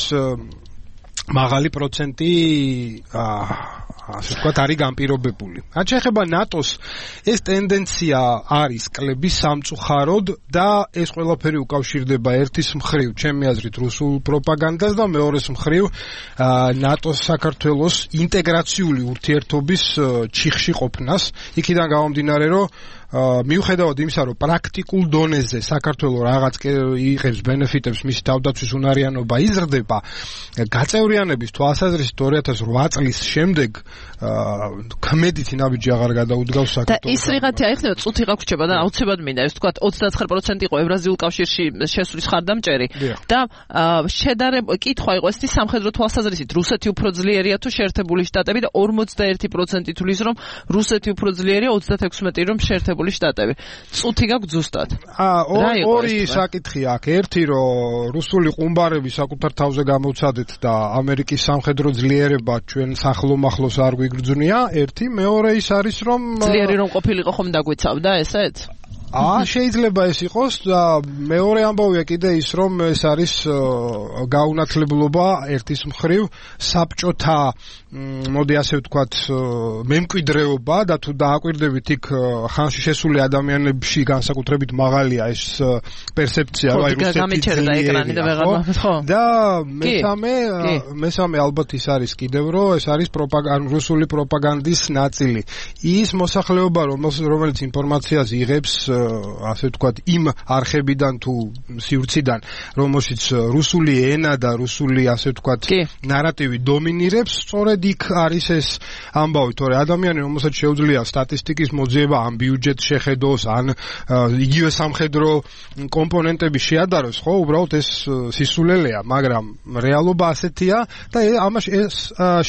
მაღალი პროცენტი ასე ვთქვათ, არის განპირობებული. რაც შეეხება ნატოს, ეს ტენდენცია არის კლების სამწუხაროდ და ეს ყველაფერი უკავშირდება ერთის მხრივ, ჩემი აზრით, რუსულ პროპაგანდას და მეორეს მხრივ ნატოს საქართველოს ინტეგრაციული ურთიერთობის ჩიხში ყოფნას. იქიდან გამომდინარე, რომ მიუხედავად იმისა, რომ პრაქტიკულ დონეზე საქართველოს რაღაც იღებს ბენეფიტებს, მისი თავდაცვის უნარიანობა იზრდება, გაწევრიანების თვალსაზრისით ორი ათას ოთხ წლის შემდეგ კმედითი ნაბიჯი აღარ გადაუდგავს საქართველოს. და ის რიღათი აიხსნება, წუთი გაგვრჩება და აუცილებლად მინდა ეს ვთქვათ ოცდაათი პროცენტი იყო ევრაზიულ კავშირში შესulis ხარდამჭერი და შედარება კითხვა იყო ეს სამხედრო თვალსაზრისით რუსეთი უფრო ძლიერია თუ შეერთებული შტატები და ორმოცდაერთი პროცენტი თulis რომ რუსეთი უფრო ძლიერია, ოცდათექვსმეტი რომ შეერთებული შტატები. წუთი გაქვს ზუსტად. აა ორი საკითხი აქვს. ერთი რომ რუსული ყუმბარები საკუთარ თავზე გამოვცადეთ და ამერიკის სამხედრო ძლიერება ჩვენ სახლომახლოს არ გვიგრძნია. ერთი, მეორე ის არის რომ ძლიერი რომ ყოფილიყო ხომ დაგვიცავდა ესეც? აა შეიძლება ეს იყოს და მეორე ამბავია კიდე ის რომ ეს არის გაუნათლებლობა ერთის მხრივ საბჭოთა მოდი ასე ვთქვათ მემკვიდრეობა და თუ დააკვირდებით იქ ხანში შესული ადამიანებში განსაკუთრებით მაღალია ეს პერსეფცია რომ აი რუსეთი და მესამე მესამე ალბათ ის არის კიდევ რომ ეს არის პროპაგანდა რუსული პროპაგანდის ნაწილი ის მოსახლეობა რომელიც ინფორმაციას იღებს ასე ვთქვათ იმ არხებიდან თუ სივრციდან რომელშიც რუსული ენა და რუსული ასე ვთქვათ ნარატივი დომინირებს სწორედ იქ არის ეს ამბავი თორე ადამიანი რომელსაც შეუძლია სტატისტიკის მოძიება ან ბიუჯეტს შეხედოს ან იგივე სამხედრო კომპონენტები შეადაროს ხო უბრალოდ ეს სისულელეა მაგრამ რეალობა ასეთია და ამაში ეს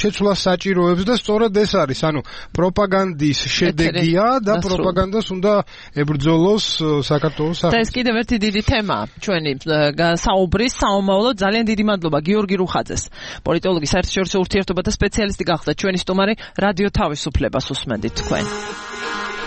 შეცვლას საჭიროებს და სწორედ ეს არის ანუ პროპაგანდის შედეგია და პროპაგანდას უნდა ებრძოლოს საქართველოს და ეს კიდევ ერთი დიდი თემაა ჩვენი საუბრის საომავლო ძალიან დიდი მადლობა გიორგი რუხაძეს პოლიტოლოგი საერთაშორისო ურთიერთობათა სპეციალისტი გახდა ჩვენი სტუმარი რადიო თავისუფლებას უსმენდით თქვენ